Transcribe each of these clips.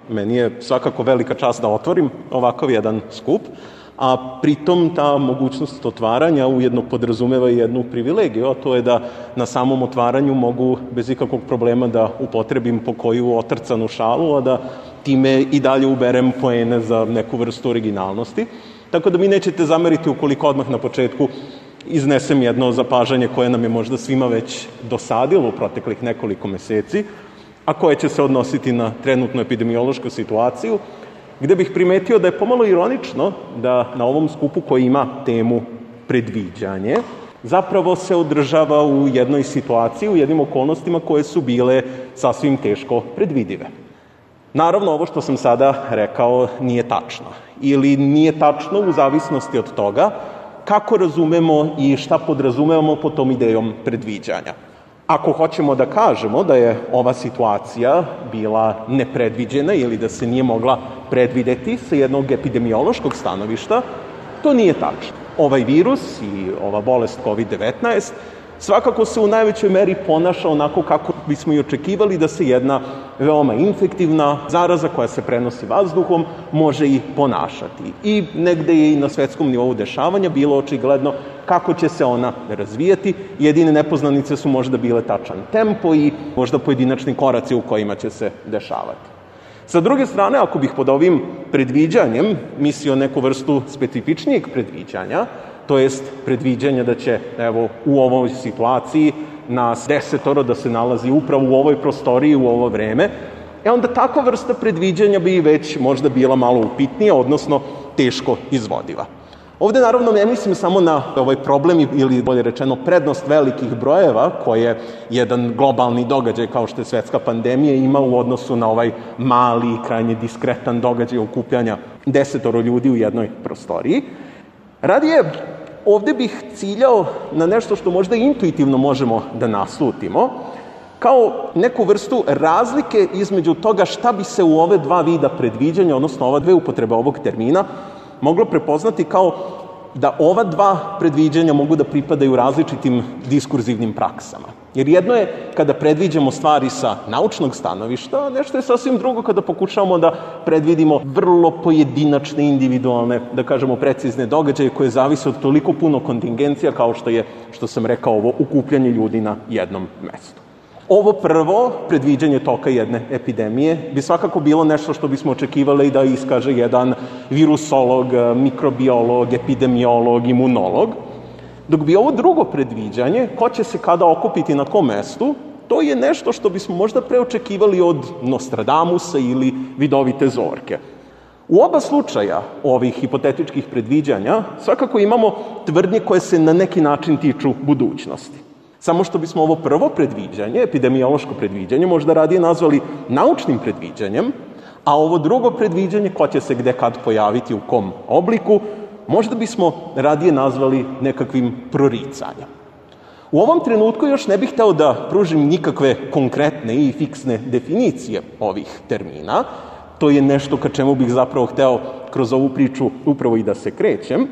Meni je svakako velika čast da otvorim ovakav jedan skup, a pritom ta mogućnost otvaranja ujedno podrazumeva i jednu privilegiju, a to je da na samom otvaranju mogu bez ikakvog problema da upotrebim po koju otrcanu šalu, a da time i dalje uberem poene za neku vrstu originalnosti. Tako da mi nećete zameriti ukoliko odmah na početku iznesem jedno zapažanje koje nam je možda svima već dosadilo u proteklih nekoliko meseci, a koje će se odnositi na trenutnu epidemiološku situaciju, gde bih primetio da je pomalo ironično da na ovom skupu koji ima temu predviđanje, zapravo se održava u jednoj situaciji, u jednim okolnostima koje su bile sasvim teško predvidive. Naravno, ovo što sam sada rekao nije tačno. Ili nije tačno u zavisnosti od toga kako razumemo i šta podrazumevamo pod tom idejom predviđanja. Ako hoćemo da kažemo da je ova situacija bila nepredviđena ili da se nije mogla predvideti sa jednog epidemiološkog stanovišta, to nije tačno. Ovaj virus i ova bolest COVID-19 svakako se u najvećoj meri ponaša onako kako bismo i očekivali da se jedna veoma infektivna zaraza koja se prenosi vazduhom može i ponašati. I negde je i na svetskom nivou dešavanja bilo očigledno kako će se ona razvijati. Jedine nepoznanice su možda bile tačan tempo i možda pojedinačni koraci u kojima će se dešavati. Sa druge strane, ako bih pod ovim predviđanjem mislio neku vrstu specifičnijeg predviđanja, to jest predviđanja da će, evo, u ovoj situaciji nas 10 da se nalazi upravo u ovoj prostoriji u ovo vreme, onda takva vrsta predviđanja bi već možda bila malo upitnija, odnosno teško izvodiva. Ovde naravno ne mislim samo na ovaj problem ili bolje rečeno prednost velikih brojeva koje jedan globalni događaj kao što je svetska pandemija ima u odnosu na ovaj mali i krajnje diskretan događaj okupljanja 10 ljudi u jednoj prostoriji. Radije, ovde bih ciljao na nešto što možda intuitivno možemo da naslutimo, kao neku vrstu razlike između toga šta bi se u ove dva vida predviđanja, odnosno ova dve upotrebe ovog termina, moglo prepoznati kao da ova dva predviđanja mogu da pripadaju različitim diskurzivnim praksama. Jer jedno je kada predviđamo stvari sa naučnog stanovišta, a nešto je sasvim drugo kada pokušavamo da predvidimo vrlo pojedinačne, individualne, da kažemo precizne događaje koje zavise od toliko puno kontingencija kao što je, što sam rekao, ovo okupljanje ljudi na jednom mestu. Ovo prvo, predviđanje toka jedne epidemije, bi svakako bilo nešto što bismo očekivali da iskaže jedan virusolog, mikrobiolog, epidemiolog, imunolog, dok bi ovo drugo predviđanje, ko će se kada okupiti na kom mestu, to je nešto što bismo možda preočekivali od Nostradamusa ili Vidovite Zorke. U oba slučaja ovih hipotetičkih predviđanja svakako imamo tvrdnje koje se na neki način tiču budućnosti. Samo što bismo ovo prvo predviđanje, epidemiološko predviđanje, možda radije nazvali naučnim predviđanjem, a ovo drugo predviđanje, ko će se gde kad pojaviti u kom obliku, možda bismo radije nazvali nekakvim proricanjem. U ovom trenutku još ne bih hteo da pružim nikakve konkretne i fiksne definicije ovih termina. To je nešto ka čemu bih zapravo hteo kroz ovu priču upravo i da se krećem.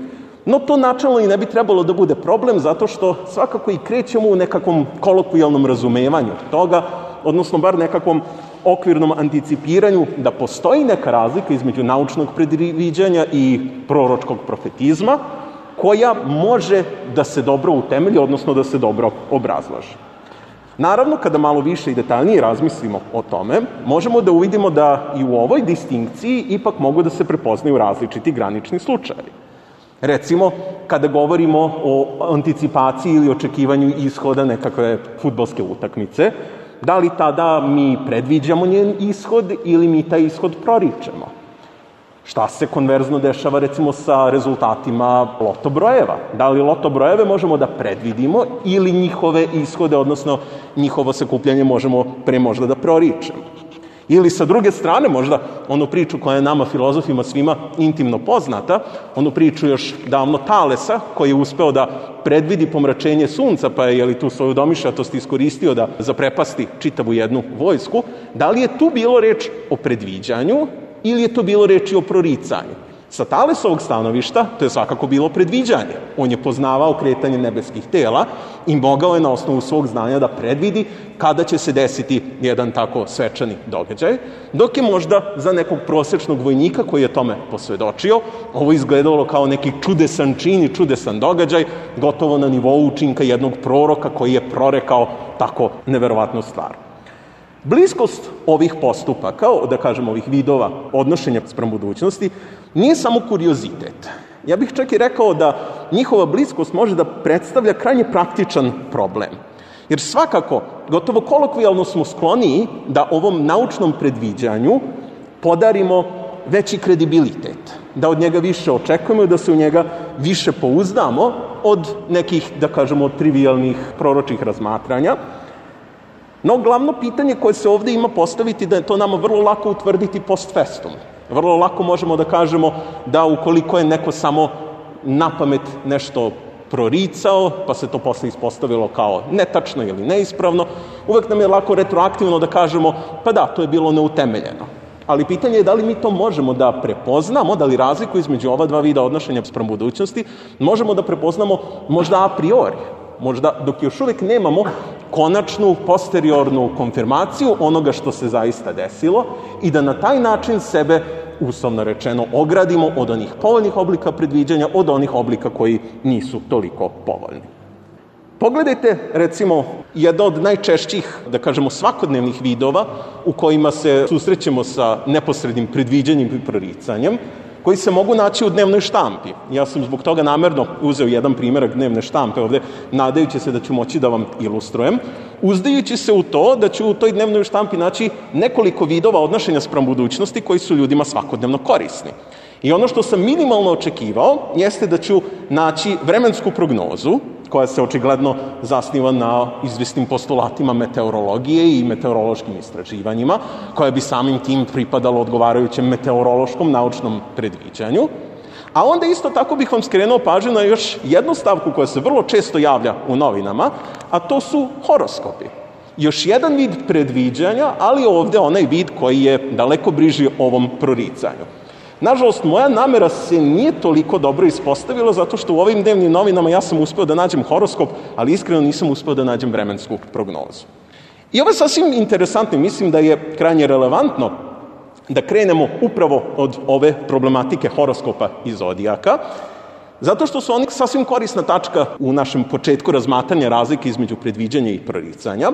No to načelno i ne bi trebalo da bude problem, zato što svakako i krećemo u nekakvom kolokvijalnom razumevanju toga, odnosno bar nekakvom okvirnom anticipiranju da postoji neka razlika između naučnog predviđanja i proročkog profetizma, koja može da se dobro utemelji, odnosno da se dobro obrazlaže. Naravno, kada malo više i detaljnije razmislimo o tome, možemo da uvidimo da i u ovoj distinkciji ipak mogu da se prepoznaju različiti granični slučajevi. Recimo, kada govorimo o anticipaciji ili očekivanju ishoda nekakve fudbalske utakmice, da li tada mi predviđamo njen ishod ili mi taj ishod proričemo? Šta se konverzno dešava recimo sa rezultatima loto brojeva? Da li loto brojeve možemo da predvidimo ili njihove ishode, odnosno njihovo sakupljanje možemo pre možda da proričemo? Ili sa druge strane možda onu priču koja je nama filozofima svima intimno poznata, onu priču još davno Talesa koji je uspeo da predvidi pomračenje sunca pa je tu svoju domišljatost iskoristio da zaprepasti čitavu jednu vojsku. Da li je tu bilo reč o predviđanju ili je to bilo reči o proricanju? Sa Talesovog stanovišta to je svakako bilo predviđanje. On je poznavao kretanje nebeskih tela i mogao je na osnovu svog znanja da predvidi kada će se desiti jedan tako svečani događaj, dok je možda za nekog prosečnog vojnika koji je tome posvedočio, ovo izgledalo kao neki čudesan čin i čudesan događaj, gotovo na nivou učinka jednog proroka koji je prorekao tako neverovatnu stvar. Bliskost ovih postupaka, da kažem ovih vidova odnošenja spram budućnosti, nije samo kuriozitet. Ja bih čak i rekao da njihova bliskost može da predstavlja krajnje praktičan problem. Jer svakako, gotovo kolokvijalno smo skloniji da ovom naučnom predviđanju podarimo veći kredibilitet, da od njega više očekujemo i da se u njega više pouzdamo od nekih, da kažemo, trivijalnih proročih razmatranja. No, glavno pitanje koje se ovde ima postaviti da je to nama vrlo lako utvrditi post festum. Vrlo lako možemo da kažemo da ukoliko je neko samo napamet nešto proricao, pa se to posle ispostavilo kao netačno ili neispravno, uvek nam je lako retroaktivno da kažemo pa da, to je bilo neutemeljeno. Ali pitanje je da li mi to možemo da prepoznamo, da li razliku između ova dva vida odnošenja spram budućnosti možemo da prepoznamo možda a priori, možda dok još uvek nemamo konačnu posteriornu konfirmaciju onoga što se zaista desilo i da na taj način sebe, uslovno rečeno, ogradimo od onih povoljnih oblika predviđanja, od onih oblika koji nisu toliko povoljni. Pogledajte, recimo, jedna od najčešćih, da kažemo, svakodnevnih vidova u kojima se susrećemo sa neposrednim predviđanjem i proricanjem, koji se mogu naći u dnevnoj štampi. Ja sam zbog toga namerno uzeo jedan primerak dnevne štampe ovde, nadajući se da ću moći da vam ilustrujem, uzdajući se u to da ću u toj dnevnoj štampi naći nekoliko vidova odnošenja spram budućnosti koji su ljudima svakodnevno korisni. I ono što sam minimalno očekivao jeste da ću naći vremensku prognozu, koja se očigledno zasniva na izvesnim postulatima meteorologije i meteorološkim istraživanjima, koja bi samim tim pripadalo odgovarajućem meteorološkom naučnom predviđanju. A onda isto tako bih vam skrenuo pažnju na još jednu stavku koja se vrlo često javlja u novinama, a to su horoskopi. Još jedan vid predviđanja, ali ovde onaj vid koji je daleko bliži ovom proricanju. Nažalost, moja namera se nije toliko dobro ispostavila zato što u ovim dnevnim novinama ja sam uspeo da nađem horoskop, ali iskreno nisam uspeo da nađem vremensku prognozu. I ovo je sasvim interesantno, mislim da je krajnje relevantno da krenemo upravo od ove problematike horoskopa i zodijaka, zato što su oni sasvim korisna tačka u našem početku razmatranja razlike između predviđanja i proricanja,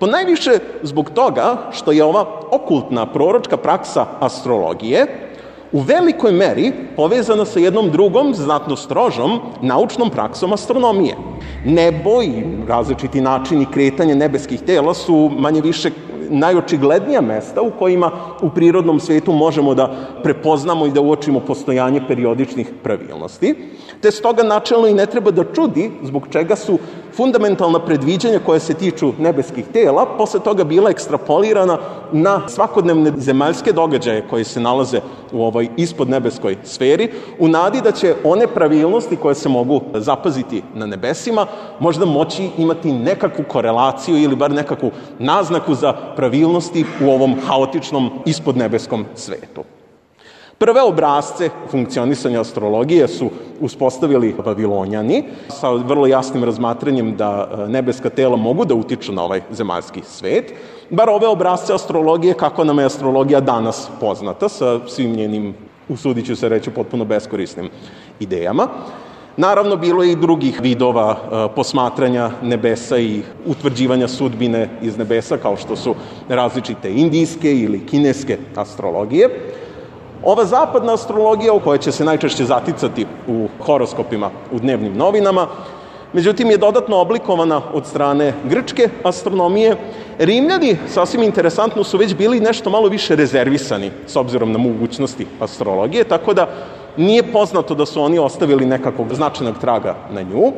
ponajviše zbog toga što je ova okultna proročka praksa astrologije u velikoj meri povezana sa jednom drugom, znatno strožom, naučnom praksom astronomije. Nebo i različiti načini kretanja nebeskih tela su manje više najočiglednija mesta u kojima u prirodnom svetu možemo da prepoznamo i da uočimo postojanje periodičnih pravilnosti, te stoga načelno i ne treba da čudi zbog čega su fundamentalna predviđanja koja se tiču nebeskih tela posle toga bila ekstrapolirana na svakodnevne zemaljske događaje koji se nalaze u ovoj ispodnebeskoj sferi, u nadi da će one pravilnosti koje se mogu zapaziti na nebesima možda moći imati nekakvu korelaciju ili bar nekakvu naznaku za pravilnosti u ovom haotičnom ispodnebeskom svetu. Prve obrazce funkcionisanja astrologije su uspostavili Vavilonjani sa vrlo jasnim razmatranjem da nebeska tela mogu da utiču na ovaj zemaljski svet, bar ove obrazce astrologije kako nam je astrologija danas poznata sa svim njenim, usudit ću se reći, potpuno beskorisnim idejama. Naravno, bilo je i drugih vidova posmatranja nebesa i utvrđivanja sudbine iz nebesa, kao što su različite indijske ili kineske astrologije. Ova zapadna astrologija, u kojoj će se najčešće zaticati u horoskopima u dnevnim novinama, međutim je dodatno oblikovana od strane grčke astronomije. Rimljani, sasvim interesantno, su već bili nešto malo više rezervisani s obzirom na mogućnosti astrologije, tako da nije poznato da su oni ostavili nekakvog značajnog traga na nju.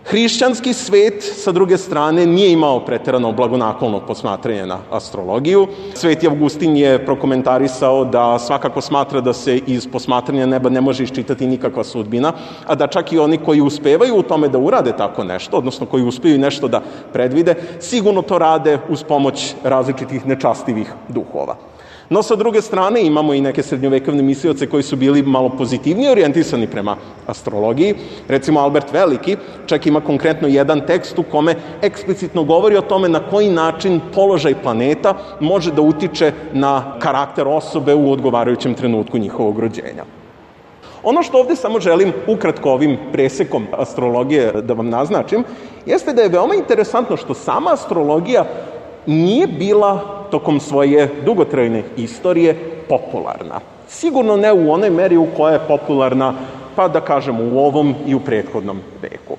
Hrišćanski svet, sa druge strane, nije imao preterano blagonaklono posmatranje na astrologiju. Sveti Avgustin je prokomentarisao da svakako smatra da se iz posmatranja neba ne može iščitati nikakva sudbina, a da čak i oni koji uspevaju u tome da urade tako nešto, odnosno koji uspeju nešto da predvide, sigurno to rade uz pomoć različitih nečastivih duhova. No, sa druge strane, imamo i neke srednjovekovne mislioce koji su bili malo pozitivnije orijentisani prema astrologiji. Recimo, Albert Veliki čak ima konkretno jedan tekst u kome eksplicitno govori o tome na koji način položaj planeta može da utiče na karakter osobe u odgovarajućem trenutku njihovog rođenja. Ono što ovde samo želim ukratko ovim presekom astrologije da vam naznačim, jeste da je veoma interesantno što sama astrologija nije bila tokom svoje dugotrajne istorije popularna. Sigurno ne u onoj meri u kojoj je popularna, pa da kažemo, u ovom i u prethodnom veku.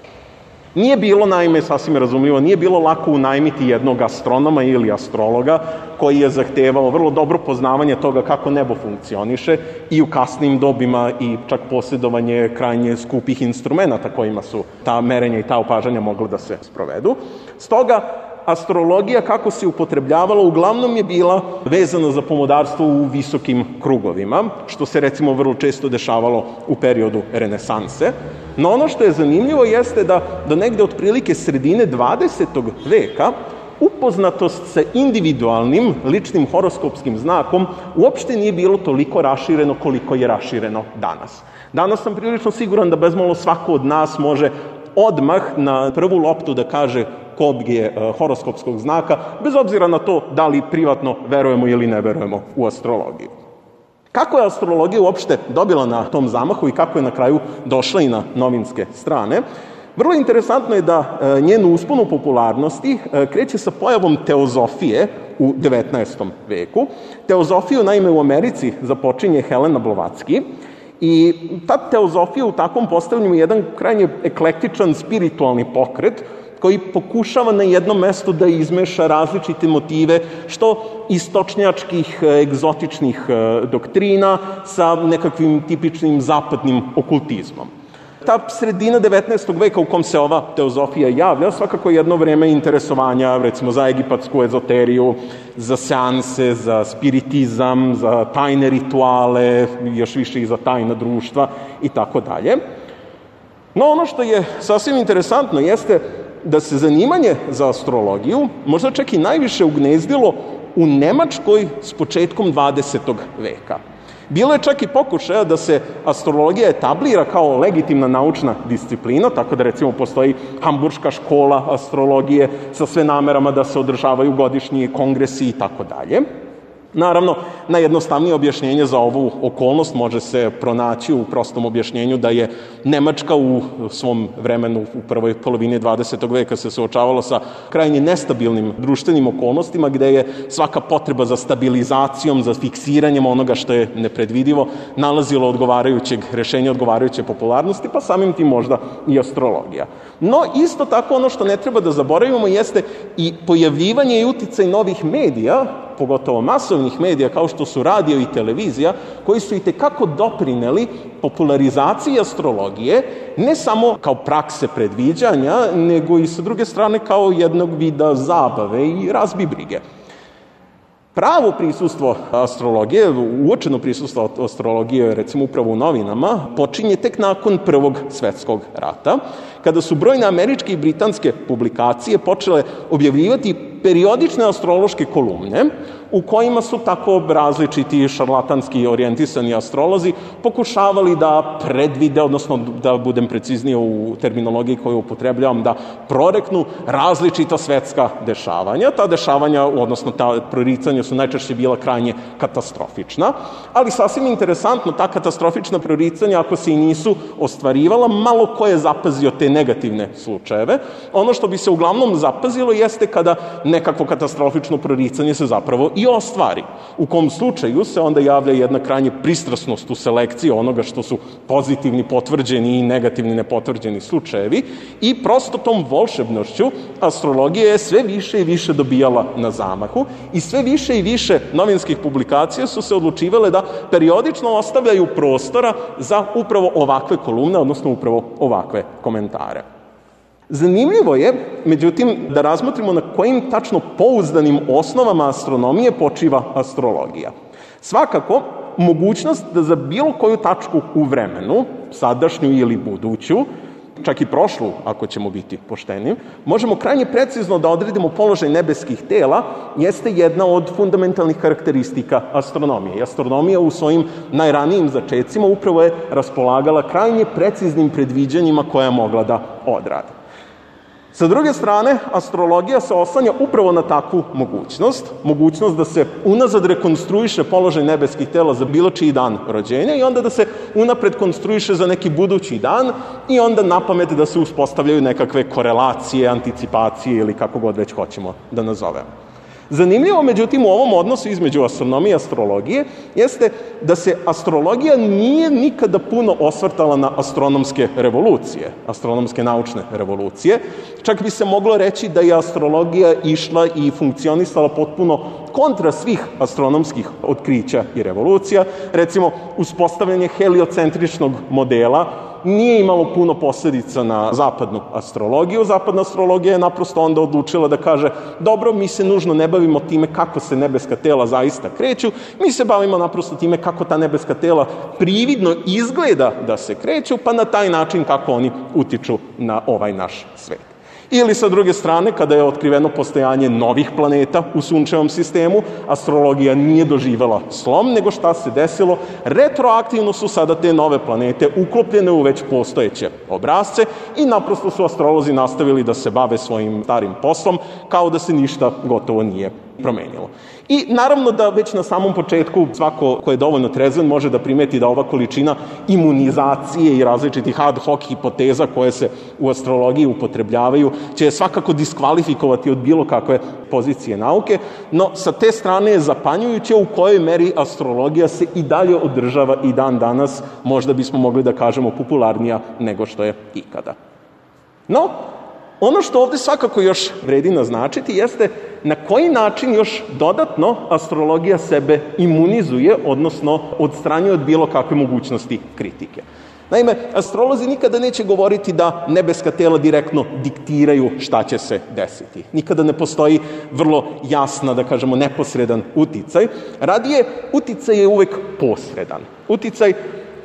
Nije bilo, naime, sasvim razumljivo, nije bilo lako unajmiti jednog astronoma ili astrologa koji je zahtevao vrlo dobro poznavanje toga kako nebo funkcioniše i u kasnim dobima i čak posjedovanje krajnje skupih instrumenta kojima su ta merenja i ta opažanja mogla da se sprovedu. Stoga, astrologija kako se upotrebljavala uglavnom je bila vezana za pomodarstvo u visokim krugovima, što se recimo vrlo često dešavalo u periodu renesanse. No ono što je zanimljivo jeste da do negde otprilike sredine 20. veka upoznatost sa individualnim ličnim horoskopskim znakom uopšte nije bilo toliko rašireno koliko je rašireno danas. Danas sam prilično siguran da bezmalo svako od nas može odmah na prvu loptu da kaže kog je horoskopskog znaka, bez obzira na to da li privatno verujemo ili ne verujemo u astrologiju. Kako je astrologija uopšte dobila na tom zamahu i kako je na kraju došla i na novinske strane? Vrlo interesantno je da njenu usponu popularnosti kreće sa pojavom teozofije u 19. veku. Teozofiju, naime, u Americi započinje Helena Blavatsky i ta teozofija u takvom postavljanju je jedan krajnje eklektičan spiritualni pokret koji pokušava na jednom mestu da izmeša različite motive, što istočnjačkih, egzotičnih doktrina sa nekakvim tipičnim zapadnim okultizmom. Ta sredina 19. veka u kom se ova teozofija javlja, svakako jedno vreme interesovanja, recimo za egipatsku ezoteriju, za seanse, za spiritizam, za tajne rituale, još više i za tajna društva i tako dalje. No ono što je sasvim interesantno jeste da se zanimanje za astrologiju možda čak i najviše ugnezdilo u Nemačkoj s početkom 20. veka. Bilo je čak i pokušaja da se astrologija etablira kao legitimna naučna disciplina, tako da recimo postoji Hamburška škola astrologije sa sve namerama da se održavaju godišnji kongresi i tako dalje. Naravno, najjednostavnije objašnjenje za ovu okolnost može se pronaći u prostom objašnjenju da je Nemačka u svom vremenu u prvoj polovini 20. veka se suočavala sa krajnje nestabilnim društvenim okolnostima gde je svaka potreba za stabilizacijom, za fiksiranjem onoga što je nepredvidivo nalazilo odgovarajućeg rešenja, odgovarajuće popularnosti, pa samim tim možda i astrologija. No, isto tako ono što ne treba da zaboravimo jeste i pojavljivanje i uticaj novih medija, pogotovo masovnih medija kao što su radio i televizija, koji su itekako doprineli popularizaciji astrologije, ne samo kao prakse predviđanja, nego i sa druge strane kao jednog vida zabave i razbibrige. Pravo prisustvo astrologije, uočeno prisustvo astrologije, recimo upravo u novinama, počinje tek nakon Prvog svetskog rata, kada su brojne američke i britanske publikacije počele objavljivati periodične astrološke kolumne u kojima su tako različiti šarlatanski orijentisani astrolozi pokušavali da predvide, odnosno da budem preciznije u terminologiji koju upotrebljavam, da proreknu različita svetska dešavanja. Ta dešavanja, odnosno ta proricanja su najčešće bila krajnje katastrofična, ali sasvim interesantno, ta katastrofična proricanja, ako se i nisu ostvarivala, malo ko je zapazio te negativne slučajeve. Ono što bi se uglavnom zapazilo jeste kada nekakvo katastrofično proricanje se zapravo i ostvari. U kom slučaju se onda javlja jedna krajnje pristrasnost u selekciji onoga što su pozitivni potvrđeni i negativni nepotvrđeni slučajevi i prosto tom volšebnošću astrologija je sve više i više dobijala na zamahu i sve više i više novinskih publikacija su se odlučivale da periodično ostavljaju prostora za upravo ovakve kolumne, odnosno upravo ovakve komentare. Zanimljivo je, međutim, da razmotrimo na kojim tačno pouzdanim osnovama astronomije počiva astrologija. Svakako, mogućnost da za bilo koju tačku u vremenu, sadašnju ili buduću, čak i prošlu, ako ćemo biti pošteni, možemo krajnje precizno da odredimo položaj nebeskih tela, jeste jedna od fundamentalnih karakteristika astronomije. I astronomija u svojim najranijim začecima upravo je raspolagala krajnje preciznim predviđanjima koja je mogla da odradi. Sa druge strane, astrologija se oslanja upravo na takvu mogućnost da se unazad rekonstruiše položaj nebeskih tela za bilo čiji dan rođenja i onda da se unapred konstruiše za neki budući dan i onda napamet da se uspostavljaju nekakve korelacije, anticipacije ili kako god već hoćemo da nazovemo. Zanimljivo, međutim, u ovom odnosu između astronomije i astrologije jeste da se astrologija nije nikada puno osvrtala na astronomske revolucije, astronomske naučne revolucije. Čak bi se moglo reći da je astrologija išla i funkcionisala potpuno kontra svih astronomskih otkrića i revolucija. Recimo, uspostavljanje heliocentričnog modela nije imalo puno posledica na zapadnu astrologiju. Zapadna astrologija je naprosto onda odlučila da kaže dobro, mi se nužno ne bavimo time kako se nebeska tela zaista kreću, mi se bavimo naprosto time kako ta nebeska tela prividno izgleda da se kreću, pa na taj način kako oni utiču na ovaj naš svet. Ili sa druge strane, kada je otkriveno postojanje novih planeta u sunčevom sistemu, astrologija nije doživela slom, nego šta se desilo? Retroaktivno su sada te nove planete uklopljene u već postojeće obrasce i naprosto su astrolozi nastavili da se bave svojim starim poslom, kao da se ništa gotovo nije promenilo. I naravno da već na samom početku svako ko je dovoljno trezven može da primeti da ova količina imunizacije i različitih ad hoc hipoteza koje se u astrologiji upotrebljavaju će svakako diskvalifikovati od bilo kakve pozicije nauke, no sa te strane je zapanjujuće u kojoj meri astrologija se i dalje održava i dan danas, možda bismo mogli da kažemo popularnija nego što je ikada. No, ono što ovde svakako još vredi naznačiti jeste na koji način još dodatno astrologija sebe imunizuje, odnosno odstranjuje od bilo kakve mogućnosti kritike. Naime, astrolozi nikada neće govoriti da nebeska tela direktno diktiraju šta će se desiti. Nikada ne postoji vrlo jasna, da kažemo, neposredan uticaj. Radije, uticaj je uvek posredan. Uticaj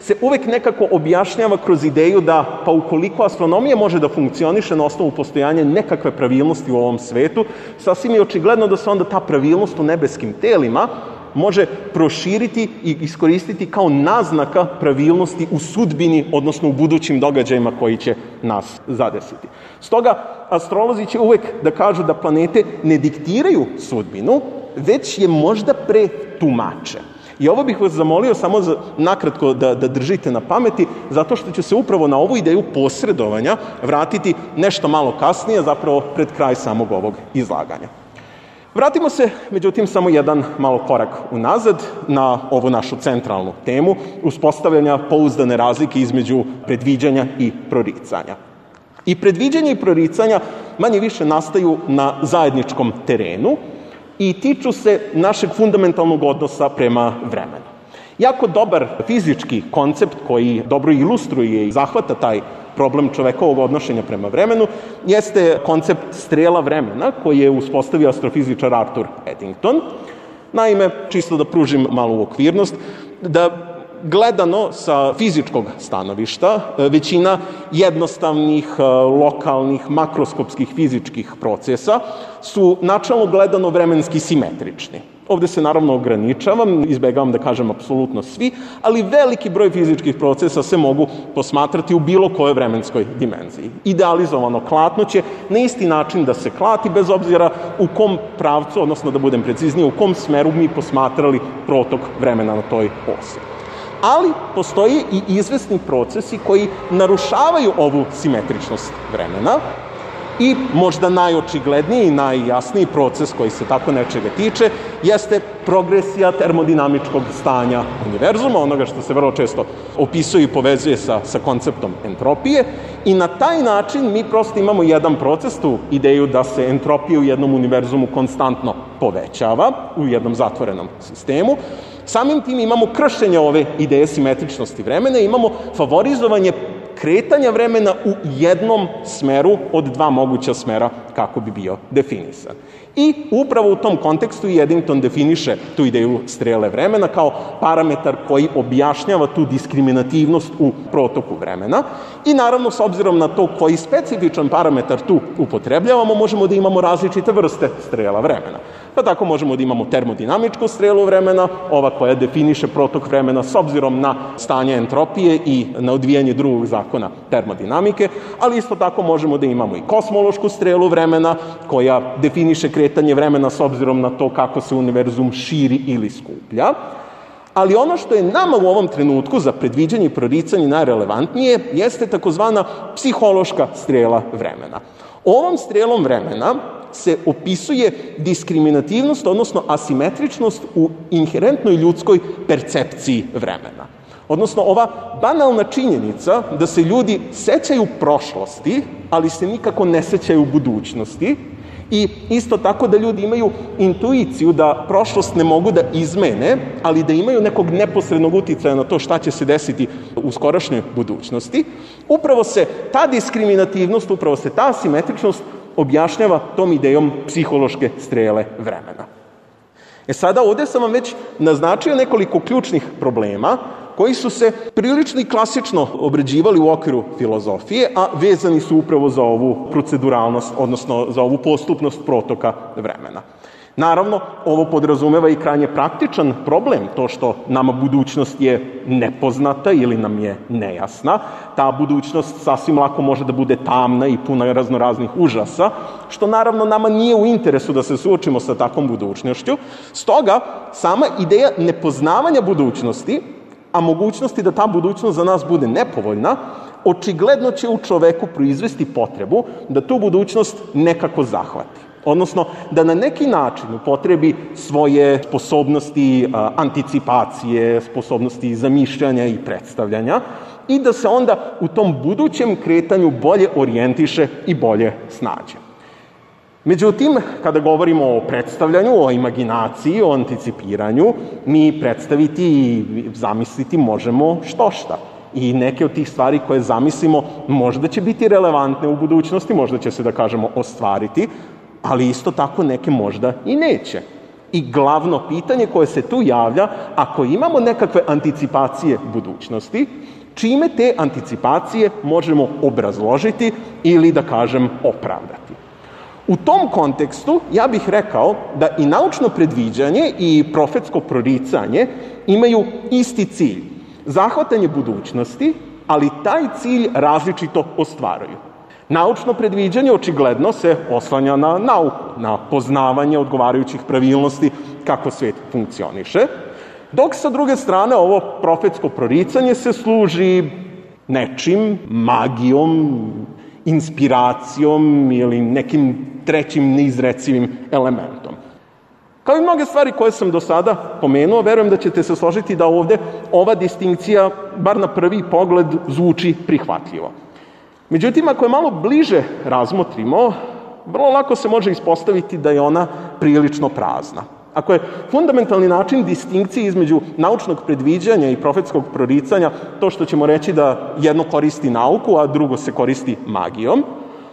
se uvek nekako objašnjava kroz ideju da, pa ukoliko astronomija može da funkcioniše na osnovu postojanja nekakve pravilnosti u ovom svetu, sasvim je očigledno da se onda ta pravilnost u nebeskim telima može proširiti i iskoristiti kao naznaka pravilnosti u sudbini, odnosno u budućim događajima koji će nas zadesiti. Stoga, astrolozi će uvek da kažu da planete ne diktiraju sudbinu, već je možda pretumače. I ovo bih vas zamolio samo nakratko da držite na pameti, zato što ću se upravo na ovu ideju posredovanja vratiti nešto malo kasnije, zapravo pred kraj samog ovog izlaganja. Vratimo se, međutim, samo jedan malo korak unazad na ovu našu centralnu temu, uspostavljanja pouzdane razlike između predviđanja i proricanja. I predviđanja i proricanja manje više nastaju na zajedničkom terenu i tiču se našeg fundamentalnog odnosa prema vremenu. Jako dobar fizički koncept koji dobro ilustruje i zahvata taj problem čovekovog odnošenja prema vremenu jeste koncept strela vremena koji je uspostavio astrofizičar Arthur Eddington. Naime, čisto da pružim malu okvirnost, da gledano sa fizičkog stanovišta, većina jednostavnih, lokalnih, makroskopskih fizičkih procesa su načalno gledano vremenski simetrični. Ovde se naravno ograničavam, izbegavam da kažem apsolutno svi, ali veliki broj fizičkih procesa se mogu posmatrati u bilo kojoj vremenskoj dimenziji. Idealizovano klatno će na isti način da se klati, bez obzira u kom pravcu, odnosno da budem precizniji, u kom smeru mi posmatrali protok vremena na toj osi. Ali postoje i izvesni procesi koji narušavaju ovu simetričnost vremena i možda najočigledniji i najjasniji proces koji se tako nečega tiče jeste progresija termodinamičkog stanja univerzuma, onoga što se vrlo često opisuje i povezuje sa konceptom entropije i na taj način mi prosto imamo jedan proces, tu ideju da se entropija u jednom univerzumu konstantno povećava u jednom zatvorenom sistemu. Samim tim imamo kršenje ove ideje simetričnosti vremena i imamo favorizovanje kretanja vremena u jednom smeru od dva moguća smera kako bi bio definisan. I upravo u tom kontekstu Eddington definiše tu ideju strele vremena kao parametar koji objašnjava tu diskriminativnost u protoku vremena i naravno s obzirom na to koji specifičan parametar tu upotrebljavamo, možemo da imamo različite vrste strela vremena. Pa tako možemo da imamo termodinamičku strelu vremena, ova koja definiše protok vremena s obzirom na stanje entropije i na odvijanje drugog zakona termodinamike, ali isto tako možemo da imamo i kosmološku strelu vremena koja definiše kretanje vremena s obzirom na to kako se univerzum širi ili skuplja. Ali ono što je nama u ovom trenutku za predviđanje i proricanje najrelevantnije jeste takozvana psihološka strela vremena. Ovom strelom vremena se opisuje diskriminativnost, odnosno asimetričnost u inherentnoj ljudskoj percepciji vremena. Odnosno, ova banalna činjenica da se ljudi sećaju prošlosti, ali se nikako ne sećaju budućnosti, i isto tako da ljudi imaju intuiciju da prošlost ne mogu da izmene, ali da imaju nekog neposrednog uticaja na to šta će se desiti u skorašnjoj budućnosti. Upravo se ta diskriminativnost, upravo se ta asimetričnost objašnjava tom idejom psihološke strele vremena. Sada ovde sam vam već naznačio nekoliko ključnih problema koji su se prilično i klasično obrađivali u okviru filozofije, a vezani su upravo za ovu proceduralnost, odnosno za ovu postupnost protoka vremena. Naravno, ovo podrazumeva i krajnje praktičan problem, to što nama budućnost je nepoznata ili nam je nejasna. Ta budućnost sasvim lako može da bude tamna i puna raznoraznih užasa, što naravno nama nije u interesu da se suočimo sa takvom budućnošću. Stoga, sama ideja nepoznavanja budućnosti, a mogućnosti da ta budućnost za nas bude nepovoljna, očigledno će u čoveku proizvesti potrebu da tu budućnost nekako zahvati. Odnosno, da na neki način upotrebi svoje sposobnosti anticipacije, sposobnosti zamišljanja i predstavljanja i da se onda u tom budućem kretanju bolje orijentiše i bolje snađe. Međutim, kada govorimo o predstavljanju, o imaginaciji, o anticipiranju, mi predstaviti i zamisliti možemo štošta. I neke od tih stvari koje zamislimo možda će biti relevantne u budućnosti, možda će se, da kažemo, ostvariti, ali isto tako neke možda i neće. I glavno pitanje koje se tu javlja, ako imamo nekakve anticipacije budućnosti, čime te anticipacije možemo obrazložiti ili, da kažem, opravdati. U tom kontekstu ja bih rekao da i naučno predviđanje i profetsko proricanje imaju isti cilj. Zahvatanje budućnosti, ali taj cilj različito ostvaruju. Naučno predviđanje očigledno se oslanja na nauku, na poznavanje odgovarajućih pravilnosti kako svet funkcioniše, dok sa druge strane ovo profetsko proricanje se služi nečim, magijom, inspiracijom ili nekim trećim neizrecivim elementom. Kao i mnoge stvari koje sam do sada pomenuo, verujem da ćete se složiti da ovde ova distinkcija, bar na prvi pogled, zvuči prihvatljivo. Međutim, ako je malo bliže razmotrimo, vrlo lako se može ispostaviti da je ona prilično prazna. Ako je fundamentalni način distinkcije između naučnog predviđanja i profetskog proricanja to što ćemo reći da jedno koristi nauku, a drugo se koristi magijom,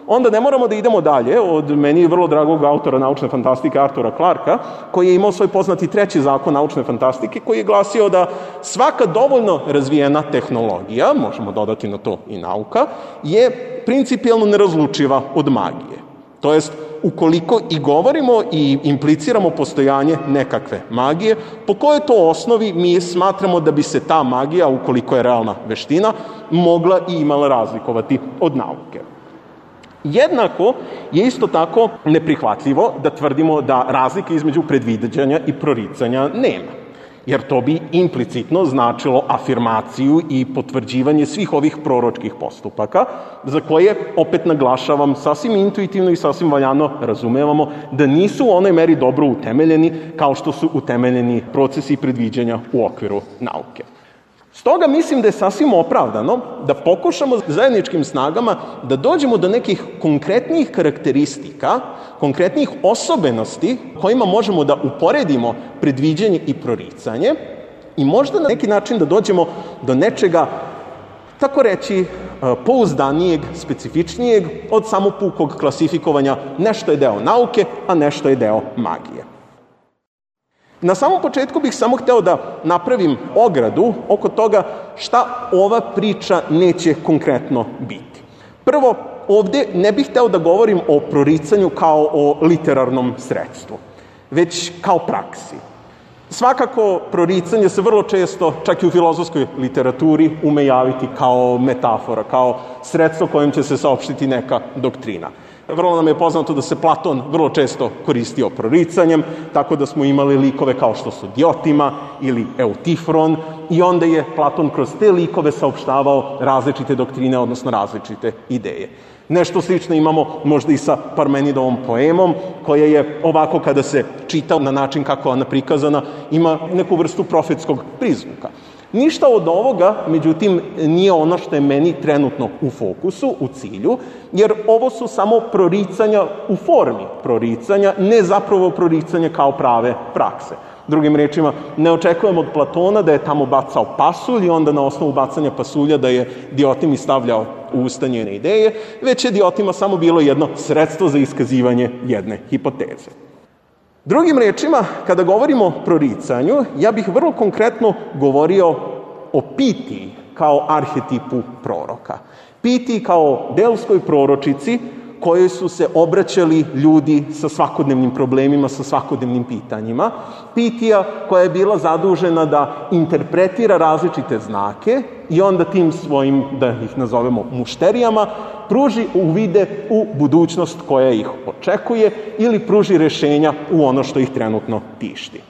onda ne moramo da idemo dalje od meni vrlo dragog autora naučne fantastike Artura Clarka, koji je imao svoj poznati treći zakon naučne fantastike, koji je glasio da svaka dovoljno razvijena tehnologija, možemo dodati na to i nauka, je principijelno nerazlučiva od magije. To jest, ukoliko i govorimo i impliciramo postojanje nekakve magije, po kojoj to osnovi mi smatramo da bi se ta magija, ukoliko je realna veština, mogla i imala razlikovati od nauke. Jednako je isto tako neprihvatljivo da tvrdimo da razlike između predviđanja i proricanja nema, jer to bi implicitno značilo afirmaciju i potvrđivanje svih ovih proročkih postupaka, za koje, opet naglašavam, sasvim intuitivno i sasvim valjano razumevamo da nisu u onoj meri dobro utemeljeni kao što su utemeljeni procesi predviđanja u okviru nauke. Stoga mislim da je sasvim opravdano da pokušamo zajedničkim snagama da dođemo do nekih konkretnih karakteristika, konkretnih osobenosti kojima možemo da uporedimo predviđanje i proricanje i možda na neki način da dođemo do nečega tako reći, pouzdanijeg, specifičnijeg od samo pukog klasifikovanja nešto je deo nauke, a nešto je deo magije. Na samom početku bih samo hteo da napravim ogradu oko toga šta ova priča neće konkretno biti. Prvo, ovde ne bih hteo da govorim o proricanju kao o literarnom sredstvu, već kao praksi. Svakako, proricanje se vrlo često, čak i u filozofskoj literaturi, ume javiti kao metafora, kao sredstvo kojim će se saopštiti neka doktrina. Vrlo nam je poznato da se Platon vrlo često koristio proricanjem, tako da smo imali likove kao što su Diotima ili Eutifron, i onda je Platon kroz te likove saopštavao različite doktrine, odnosno različite ideje. Nešto slično imamo možda i sa Parmenidovom poemom, koja je ovako kada se čita na način kako je ona prikazana, ima neku vrstu profetskog prizvuka. Ništa od ovoga, međutim, nije ono što je meni trenutno u fokusu, u cilju, jer ovo su samo proricanja u formi proricanja, ne zapravo proricanja kao prave prakse. Drugim rečima, ne očekujem od Platona da je tamo bacao pasulj i onda na osnovu bacanja pasulja da je Diotimi stavljao u usta njene ideje, već je Diotima samo bilo jedno sredstvo za iskazivanje jedne hipoteze. Drugim rečima, kada govorimo o proricanju, ja bih vrlo konkretno govorio o Pitiji kao arhetipu proroka. Pitiji kao delskoj proročici kojoj su se obraćali ljudi sa svakodnevnim problemima, sa svakodnevnim pitanjima. Pitija koja je bila zadužena da interpretira različite znake i onda tim svojim, da ih nazovemo mušterijama, pruži uvide u budućnost koja ih očekuje ili pruži rešenja u ono što ih trenutno tišti.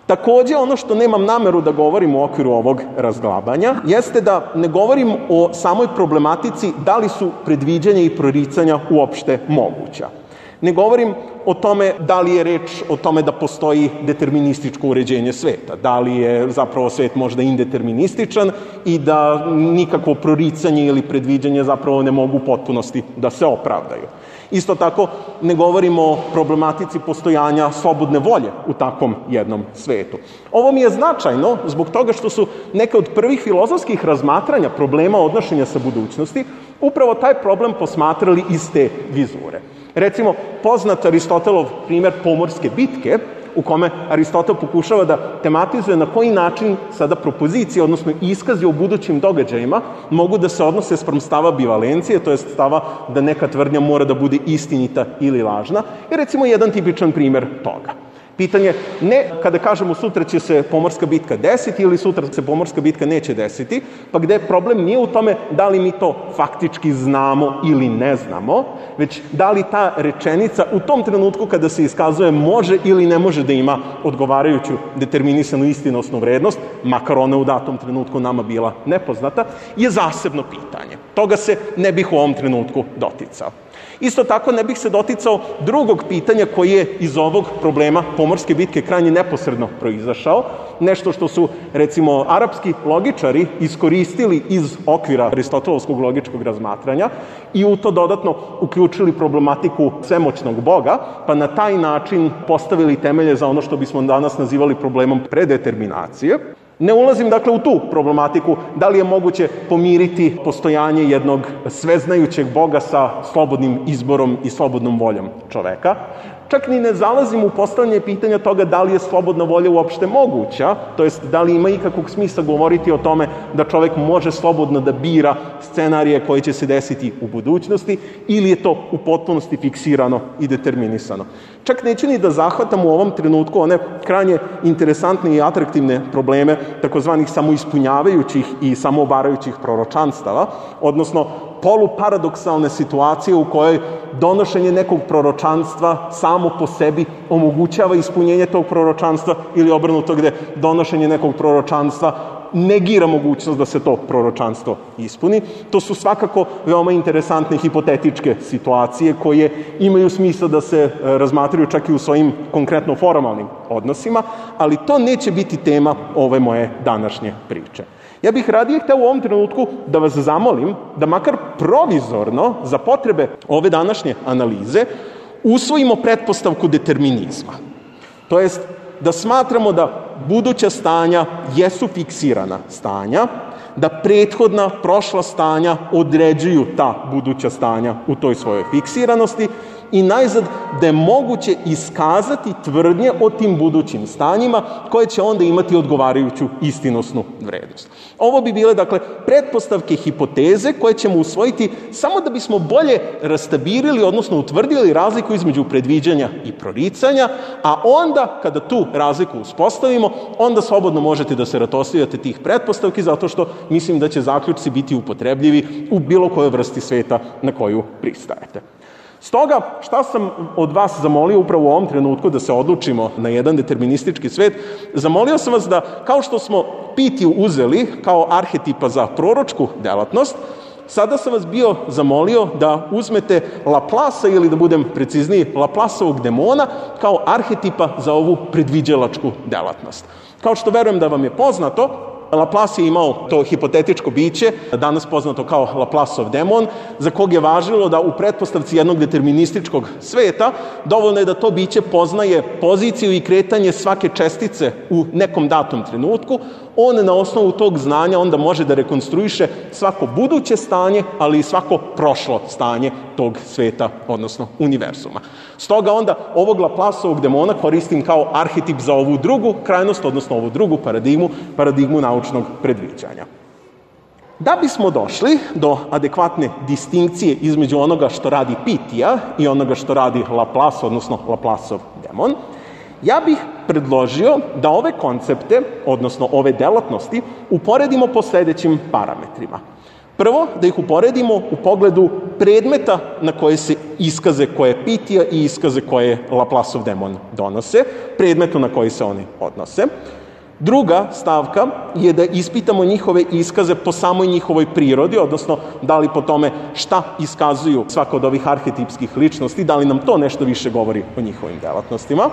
Takođe, ono što nemam nameru da govorim u okviru ovog razglabanja, jeste da ne govorim o samoj problematici da li su predviđanja i proricanja uopšte moguća. Ne govorim o tome da li je reč o tome da postoji determinističko uređenje sveta, da li je zapravo svet možda indeterminističan i da nikakvo proricanje ili predviđanje zapravo ne mogu u potpunosti da se opravdaju. Isto tako, ne govorimo o problematici postojanja slobodne volje u takvom jednom svetu. Ovo mi je značajno zbog toga što su neke od prvih filozofskih razmatranja problema odnošenja sa budućnosti upravo taj problem posmatrali iz te vizure. Recimo, poznat Aristotelov primer pomorske bitke, u kome Aristotel pokušava da tematizuje na koji način sada propozicije, odnosno iskazi o budućim događajima, mogu da se odnose spram stava bivalencije, to je stava da neka tvrdnja mora da bude istinita ili lažna, je recimo jedan tipičan primer toga. Pitanje ne kada kažemo sutra će se pomorska bitka desiti ili sutra se pomorska bitka neće desiti, pa gde problem nije u tome da li mi to faktički znamo ili ne znamo, već da li ta rečenica u tom trenutku kada se iskazuje može ili ne može da ima odgovarajuću determinisanu istinosnu vrednost, makar ona u datom trenutku nama bila nepoznata, je zasebno pitanje. Toga se ne bih u ovom trenutku doticao. Isto tako ne bih se doticao drugog pitanja koji je iz ovog problema pomorske bitke krajnje neposredno proizašao, nešto što su, recimo, arapski logičari iskoristili iz okvira aristotelovskog logičkog razmatranja i u to dodatno uključili problematiku svemoćnog Boga, pa na taj način postavili temelje za ono što bismo danas nazivali problemom predeterminacije. Ne ulazim, dakle, u tu problematiku da li je moguće pomiriti postojanje jednog sveznajućeg Boga sa slobodnim izborom i slobodnom voljom čoveka. Čak ni ne zalazim u postavljanje pitanja toga da li je slobodna volja uopšte moguća, to jest da li ima ikakvog smisla govoriti o tome da čovek može slobodno da bira scenarije koji će se desiti u budućnosti ili je to u potpunosti fiksirano i determinisano. Čak neću ni da zahvatam u ovom trenutku one krajnje interesantne i atraktivne probleme takozvanih samoispunjavajućih i samoobarajućih proročanstava, odnosno poluparadoksalne situacije u kojoj donošenje nekog proročanstva samo po sebi omogućava ispunjenje tog proročanstva ili obrnuto gde donošenje nekog proročanstva negira mogućnost da se to proročanstvo ispuni. To su svakako veoma interesantne hipotetičke situacije koje imaju smisla da se razmatraju čak i u svojim konkretno formalnim odnosima, ali to neće biti tema ove moje današnje priče. Ja bih radije hteo u ovom trenutku da vas zamolim da makar provizorno za potrebe ove današnje analize usvojimo pretpostavku determinizma. To jest da smatramo da buduća stanja jesu fiksirana stanja, da prethodna prošla stanja određuju ta buduća stanja u toj svojoj fiksiranosti i najzad da je moguće iskazati tvrdnje o tim budućim stanjima koje će onda imati odgovarajuću istinosnu vrednost. Ovo bi bile, dakle, pretpostavke hipoteze koje ćemo usvojiti samo da bismo bolje rastabirili, odnosno utvrdili razliku između predviđanja i proricanja, a onda, kada tu razliku uspostavimo, onda slobodno možete da se ratoslijate tih pretpostavki, zato što mislim da će zaključci biti upotrebljivi u bilo kojoj vrsti sveta na koju pristajete. Stoga, šta sam od vas zamolio upravo u ovom trenutku da se odlučimo na jedan deterministički svet, zamolio sam vas da, kao što smo Pitiju uzeli kao arhetipa za proročku delatnost, sada sam vas bio zamolio da uzmete Laplasa, ili da budem precizniji, Laplasovog demona kao arhetipa za ovu predviđalačku delatnost. Kao što verujem da vam je poznato, Laplace je imao to hipotetičko biće, danas poznato kao Laplasov demon, za kog je važilo da u pretpostavci jednog determinističkog sveta dovoljno je da to biće poznaje poziciju i kretanje svake čestice u nekom datom trenutku. On na osnovu tog znanja onda može da rekonstruiše svako buduće stanje, ali i svako prošlo stanje tog sveta, odnosno univerzuma. Stoga onda ovog Laplasovog demona koristim kao arhetip za ovu drugu krajnost, odnosno ovu drugu paradigmu naučnog predviđanja. Da bismo došli do adekvatne distinkcije između onoga što radi Pitija i onoga što radi Laplace, odnosno Laplasov demon, ja bih predložio da ove koncepte, odnosno ove delatnosti, uporedimo po sledećim parametrima. Prvo, da ih uporedimo u pogledu predmeta na koje se iskaze koje Pitija i iskaze koje Laplasov demon donose, predmetu na koji se oni odnose. Druga stavka je da ispitamo njihove iskaze po samoj njihovoj prirodi, odnosno da li po tome šta iskazuju svaka od ovih arhetipskih ličnosti, da li nam to nešto više govori o njihovim delatnostima.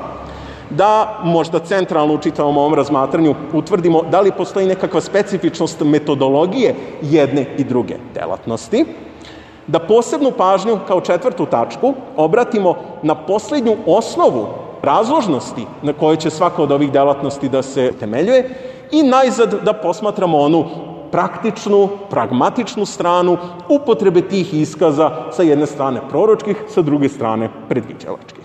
Da možda centralno u čitavom ovom razmatranju utvrdimo da li postoji nekakva specifičnost metodologije jedne i druge delatnosti. Da posebnu pažnju kao četvrtu tačku obratimo na poslednju osnovu razložnosti na kojoj će svaka od ovih delatnosti da se temeljuje i najzad da posmatramo onu praktičnu, pragmatičnu stranu upotrebe tih iskaza sa jedne strane proročkih, sa druge strane predviđalačkih.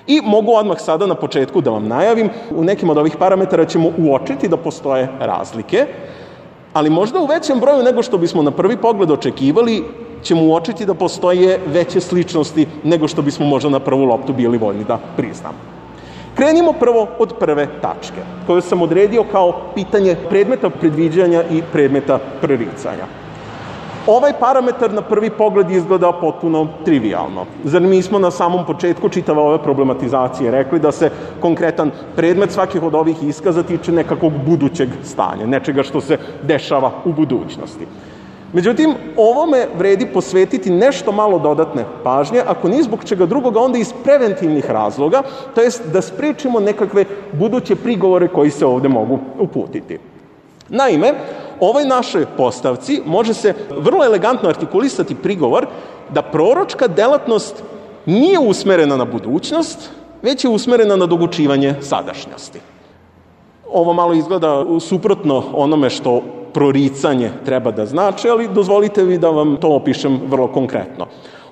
I mogu odmah sada na početku da vam najavim, u nekim od ovih parametara ćemo uočiti da postoje razlike, ali možda u većem broju nego što bismo na prvi pogled očekivali, ćemo uočiti da postoje veće sličnosti nego što bismo možda na prvu loptu bili voljni da priznamo. Krenimo prvo od prve tačke, koju sam odredio kao pitanje predmeta predviđanja i predmeta proricanja. Ovaj parametar na prvi pogled izgleda potpuno trivialno. Zar mi smo na samom početku čitave ove problematizacije rekli da se konkretan predmet svakih od ovih iskaza tiče nekakvog budućeg stanja, nečega što se dešava u budućnosti. Međutim, ovome vredi posvetiti nešto malo dodatne pažnje, ako ni zbog čega drugoga, onda iz preventivnih razloga, to jest da sprečimo nekakve buduće prigovore koji se ovde mogu uputiti. Naime, ovoj našoj postavci može se vrlo elegantno artikulisati prigovor da proročka delatnost nije usmerena na budućnost, već je usmerena na dogučivanje sadašnjosti. Ovo malo izgleda suprotno onome što proricanje treba da znači, ali dozvolite mi da vam to opišem vrlo konkretno.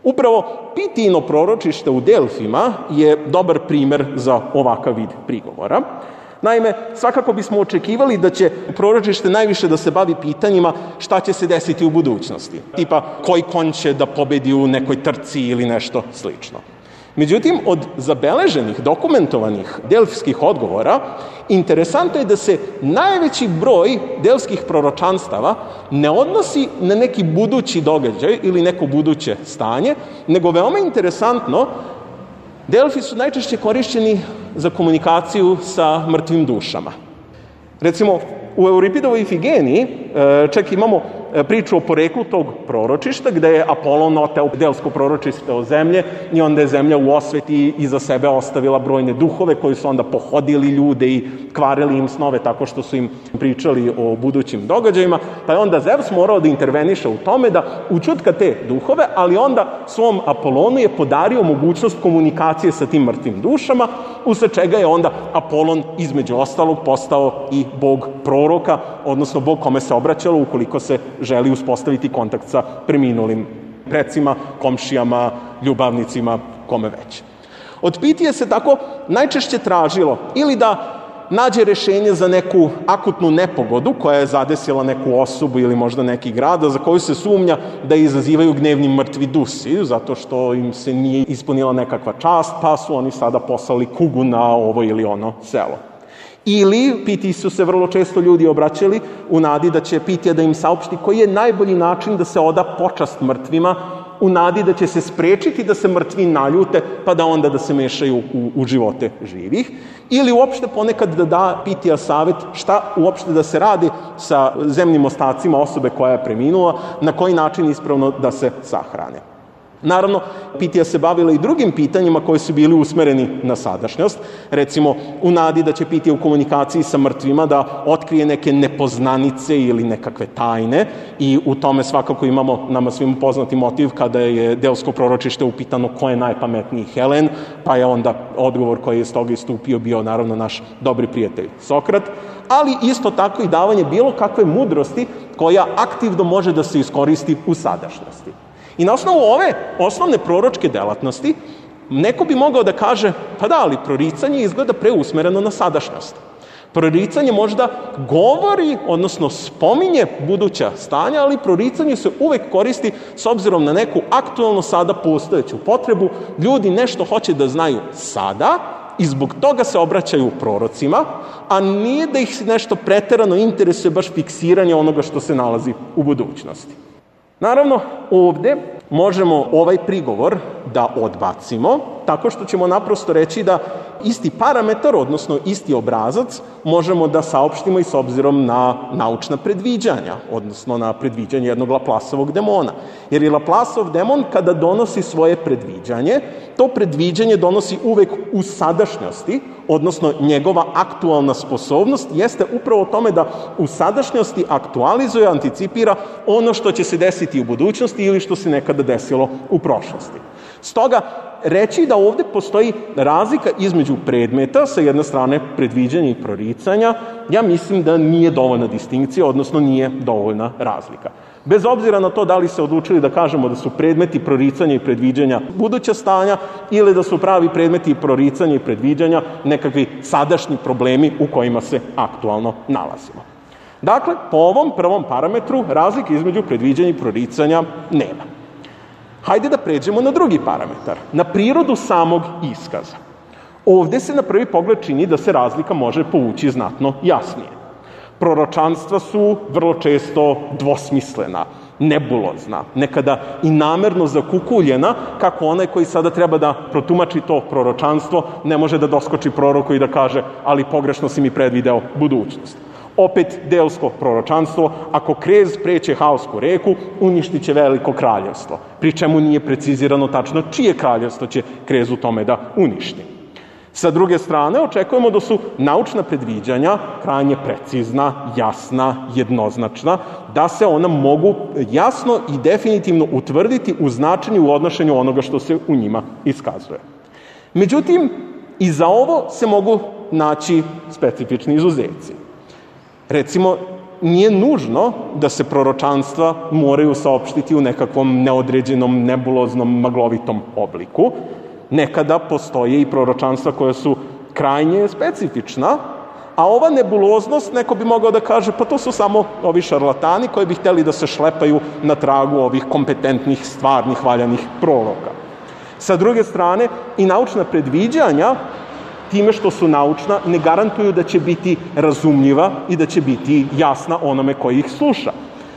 Upravo Pitijino proročište u Delfima je dobar primer za ovakav vid prigovora. Naime, svakako bismo očekivali da će proročište najviše da se bavi pitanjima šta će se desiti u budućnosti. Tipa, koji konj će da pobedi u nekoj trci ili nešto slično. Međutim, od zabeleženih, dokumentovanih delfskih odgovora, interesantno je da se najveći broj delfskih proročanstava ne odnosi na neki budući događaj ili neko buduće stanje, nego veoma interesantno, Delfi su najčešće korišćeni za komunikaciju sa mrtvim dušama. Recimo, u Euripidovoj Ifigeniji čak imamo priču o poreklu tog proročišta, gde je Apolon oteo delsko proročište o zemlje i onda je zemlja u osveti iza sebe ostavila brojne duhove koji su onda pohodili ljude i kvarili im snove tako što su im pričali o budućim događajima, pa je onda Zevs morao da interveniše u tome da učutka te duhove, ali onda svom Apolonu je podario mogućnost komunikacije sa tim mrtvim dušama, usled čega je onda Apolon između ostalog postao i bog proroka, odnosno bog kome se obraćalo ukoliko se želi uspostaviti kontakt sa preminulim precima, komšijama, ljubavnicima, kome već. Od Pitije se tako najčešće tražilo ili da nađe rešenje za neku akutnu nepogodu koja je zadesila neku osobu ili možda neki grad, za koju se sumnja da izazivaju gnevni mrtvi dusi, zato što im se nije ispunila nekakva čast, pa su oni sada poslali kugu na ovo ili ono selo. Ili Pitiji su se vrlo često ljudi obraćali u nadi da će Pitija da im saopšti koji je najbolji način da se oda počast mrtvima, u nadi da će se sprečiti da se mrtvi naljute, pa da onda da se mešaju u živote živih. Ili uopšte ponekad da da Pitija savet šta uopšte da se radi sa zemnim ostacima osobe koja je preminula, na koji način ispravno da se sahrane. Naravno, Pitija se bavila i drugim pitanjima koji su bili usmereni na sadašnjost. Recimo, u nadi da će Pitija u komunikaciji sa mrtvima da otkrije neke nepoznanice ili nekakve tajne i u tome svakako imamo nama svim poznati motiv kada je delsko proročište upitano ko je najpametniji Helen, pa je onda odgovor koji je iz toga istupio bio naravno naš dobri prijatelj Sokrat, ali isto tako i davanje bilo kakve mudrosti koja aktivno može da se iskoristi u sadašnjosti. I na osnovu ove osnovne proročke delatnosti, neko bi mogao da kaže, pa da, ali proricanje izgleda preusmereno na sadašnjost. Proricanje možda govori, odnosno spominje buduća stanja, ali proricanje se uvek koristi s obzirom na neku aktualno sada postojeću potrebu. Ljudi nešto hoće da znaju sada i zbog toga se obraćaju prorocima, a nije da ih nešto preterano interesuje baš fiksiranje onoga što se nalazi u budućnosti. Naravno, ovde možemo ovaj prigovor da odbacimo tako što ćemo naprosto reći da isti parametar, odnosno isti obrazac, možemo da saopštimo i s obzirom na naučna predviđanja, odnosno na predviđanje jednog Laplaceovog demona. Jer je Laplaceov demon kada donosi svoje predviđanje, to predviđanje donosi uvek u sadašnjosti, odnosno njegova aktualna sposobnost jeste upravo o tome da u sadašnjosti aktualizuje, anticipira ono što će se desiti u budućnosti ili što se nekada desilo u prošlosti. Stoga, reći da ovde postoji razlika između predmeta, sa jedne strane predviđanja i proricanja, ja mislim da nije dovoljna distinkcija, odnosno nije dovoljna razlika. Bez obzira na to da li se odlučili da kažemo da su predmeti proricanja i predviđanja buduća stanja ili da su pravi predmeti proricanja i predviđanja nekakvi sadašnji problemi u kojima se aktualno nalazimo. Dakle, po ovom prvom parametru razlike između predviđanja i proricanja nema. Hajde da pređemo na drugi parametar, na prirodu samog iskaza. Ovde se na prvi pogled čini da se razlika može povući znatno jasnije. Proročanstva su vrlo često dvosmislena, nebulozna, nekada i namerno zakukuljena, kako onaj koji sada treba da protumači to proročanstvo ne može da doskoči proroku i da kaže ali pogrešno si mi predvideo budućnost. Opet delsko proročanstvo, ako krez preće Haosku reku, uništit će veliko kraljevstvo, pri čemu nije precizirano tačno čije kraljevstvo će krez u tome da uništi. Sa druge strane, očekujemo da su naučna predviđanja krajnje precizna, jasna, jednoznačna, da se ona mogu jasno i definitivno utvrditi u značenju i u odnošenju onoga što se u njima iskazuje. Međutim, i za ovo se mogu naći specifični izuzeci. Recimo, nije nužno da se proročanstva moraju saopštiti u nekakvom neodređenom, nebuloznom, maglovitom obliku. Nekada postoje i proročanstva koja su krajnje specifična, a ova nebuloznost, neko bi mogao da kaže, pa to su samo ovi šarlatani koji bi hteli da se šlepaju na tragu ovih kompetentnih, stvarnih, valjanih proroka. Sa druge strane, i naučna predviđanja, time što su naučna, ne garantuju da će biti razumljiva i da će biti jasna onome koji ih sluša.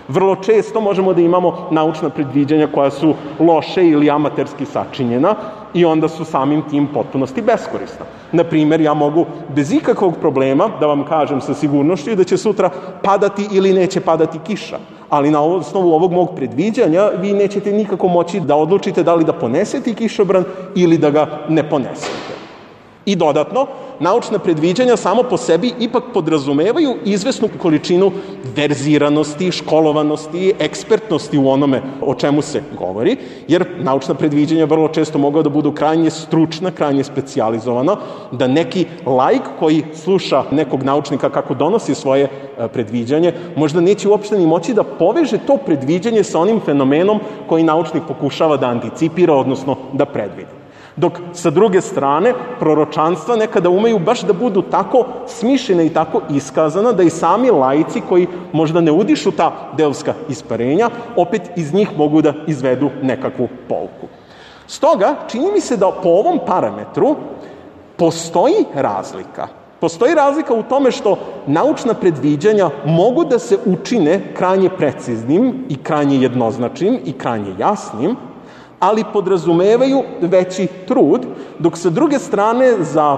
Vrlo često možemo da imamo naučna predviđanja koja su loše ili amaterski sačinjena i onda su samim tim potpunosti beskorisna. Naprimer, ja mogu bez ikakvog problema da vam kažem sa sigurnošću da će sutra padati ili neće padati kiša, ali na osnovu ovog mog predviđanja vi nećete nikako moći da odlučite da li da ponesete kišobran ili da ga ne ponesete. I dodatno, naučna predviđanja samo po sebi ipak podrazumevaju izvesnu količinu verziranosti, školovanosti, ekspertnosti u onome o čemu se govori, jer naučna predviđanja vrlo često mogu da budu krajnje stručna, krajnje specijalizovana, da neki laik koji sluša nekog naučnika kako donosi svoje predviđanje, možda neće uopšte ni moći da poveže to predviđanje sa onim fenomenom koji naučnik pokušava da anticipira, odnosno da predvidi. Dok sa druge strane, proročanstva nekada umeju baš da budu tako smišljena i tako iskazana da i sami laici koji možda ne udišu ta delska isparenja, opet iz njih mogu da izvedu nekakvu pouku. Stoga, čini mi se da po ovom parametru postoji razlika. Postoji razlika u tome što naučna predviđanja mogu da se učine krajnje preciznim i krajnje jednoznačnim i krajnje jasnim, ali podrazumevaju veći trud, dok sa druge strane za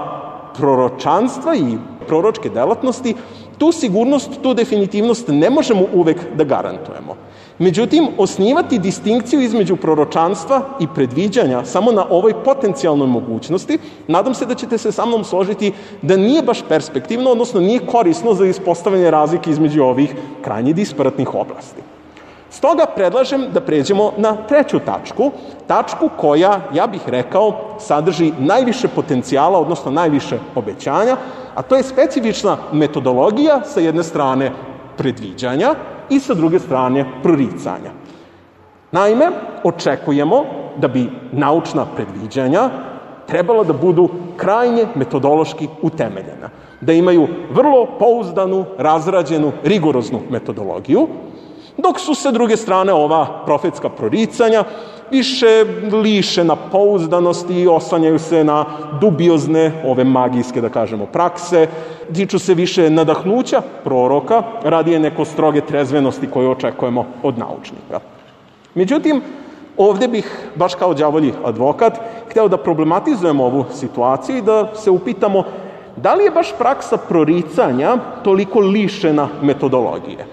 proročanstva i proročke delatnosti tu sigurnost, tu definitivnost ne možemo uvek da garantujemo. Međutim, osnivati distinkciju između proročanstva i predviđanja samo na ovoj potencijalnoj mogućnosti, nadam se da ćete se sa mnom složiti da nije baš perspektivno, odnosno nije korisno za ispostavljanje razlike između ovih krajnje disparatnih oblasti. Stoga predlažem da pređemo na treću tačku koja, ja bih rekao, sadrži najviše potencijala, odnosno najviše obećanja, a to je specifična metodologija sa jedne strane predviđanja i sa druge strane proricanja. Naime, očekujemo da bi naučna predviđanja trebala da budu krajnje metodološki utemeljena, da imaju vrlo pouzdanu, razrađenu, rigoroznu metodologiju, dok su sa druge strane ova profetska proricanja više lišena pouzdanosti i oslanjaju se na dubiozne, ove magijske, da kažemo, prakse, tiču se više nadahnuća proroka, radije neko stroge trezvenosti koje očekujemo od naučnika. Međutim, ovde bih, baš kao đavolji advokat, hteo da problematizujemo ovu situaciju i da se upitamo da li je baš praksa proricanja toliko lišena metodologije.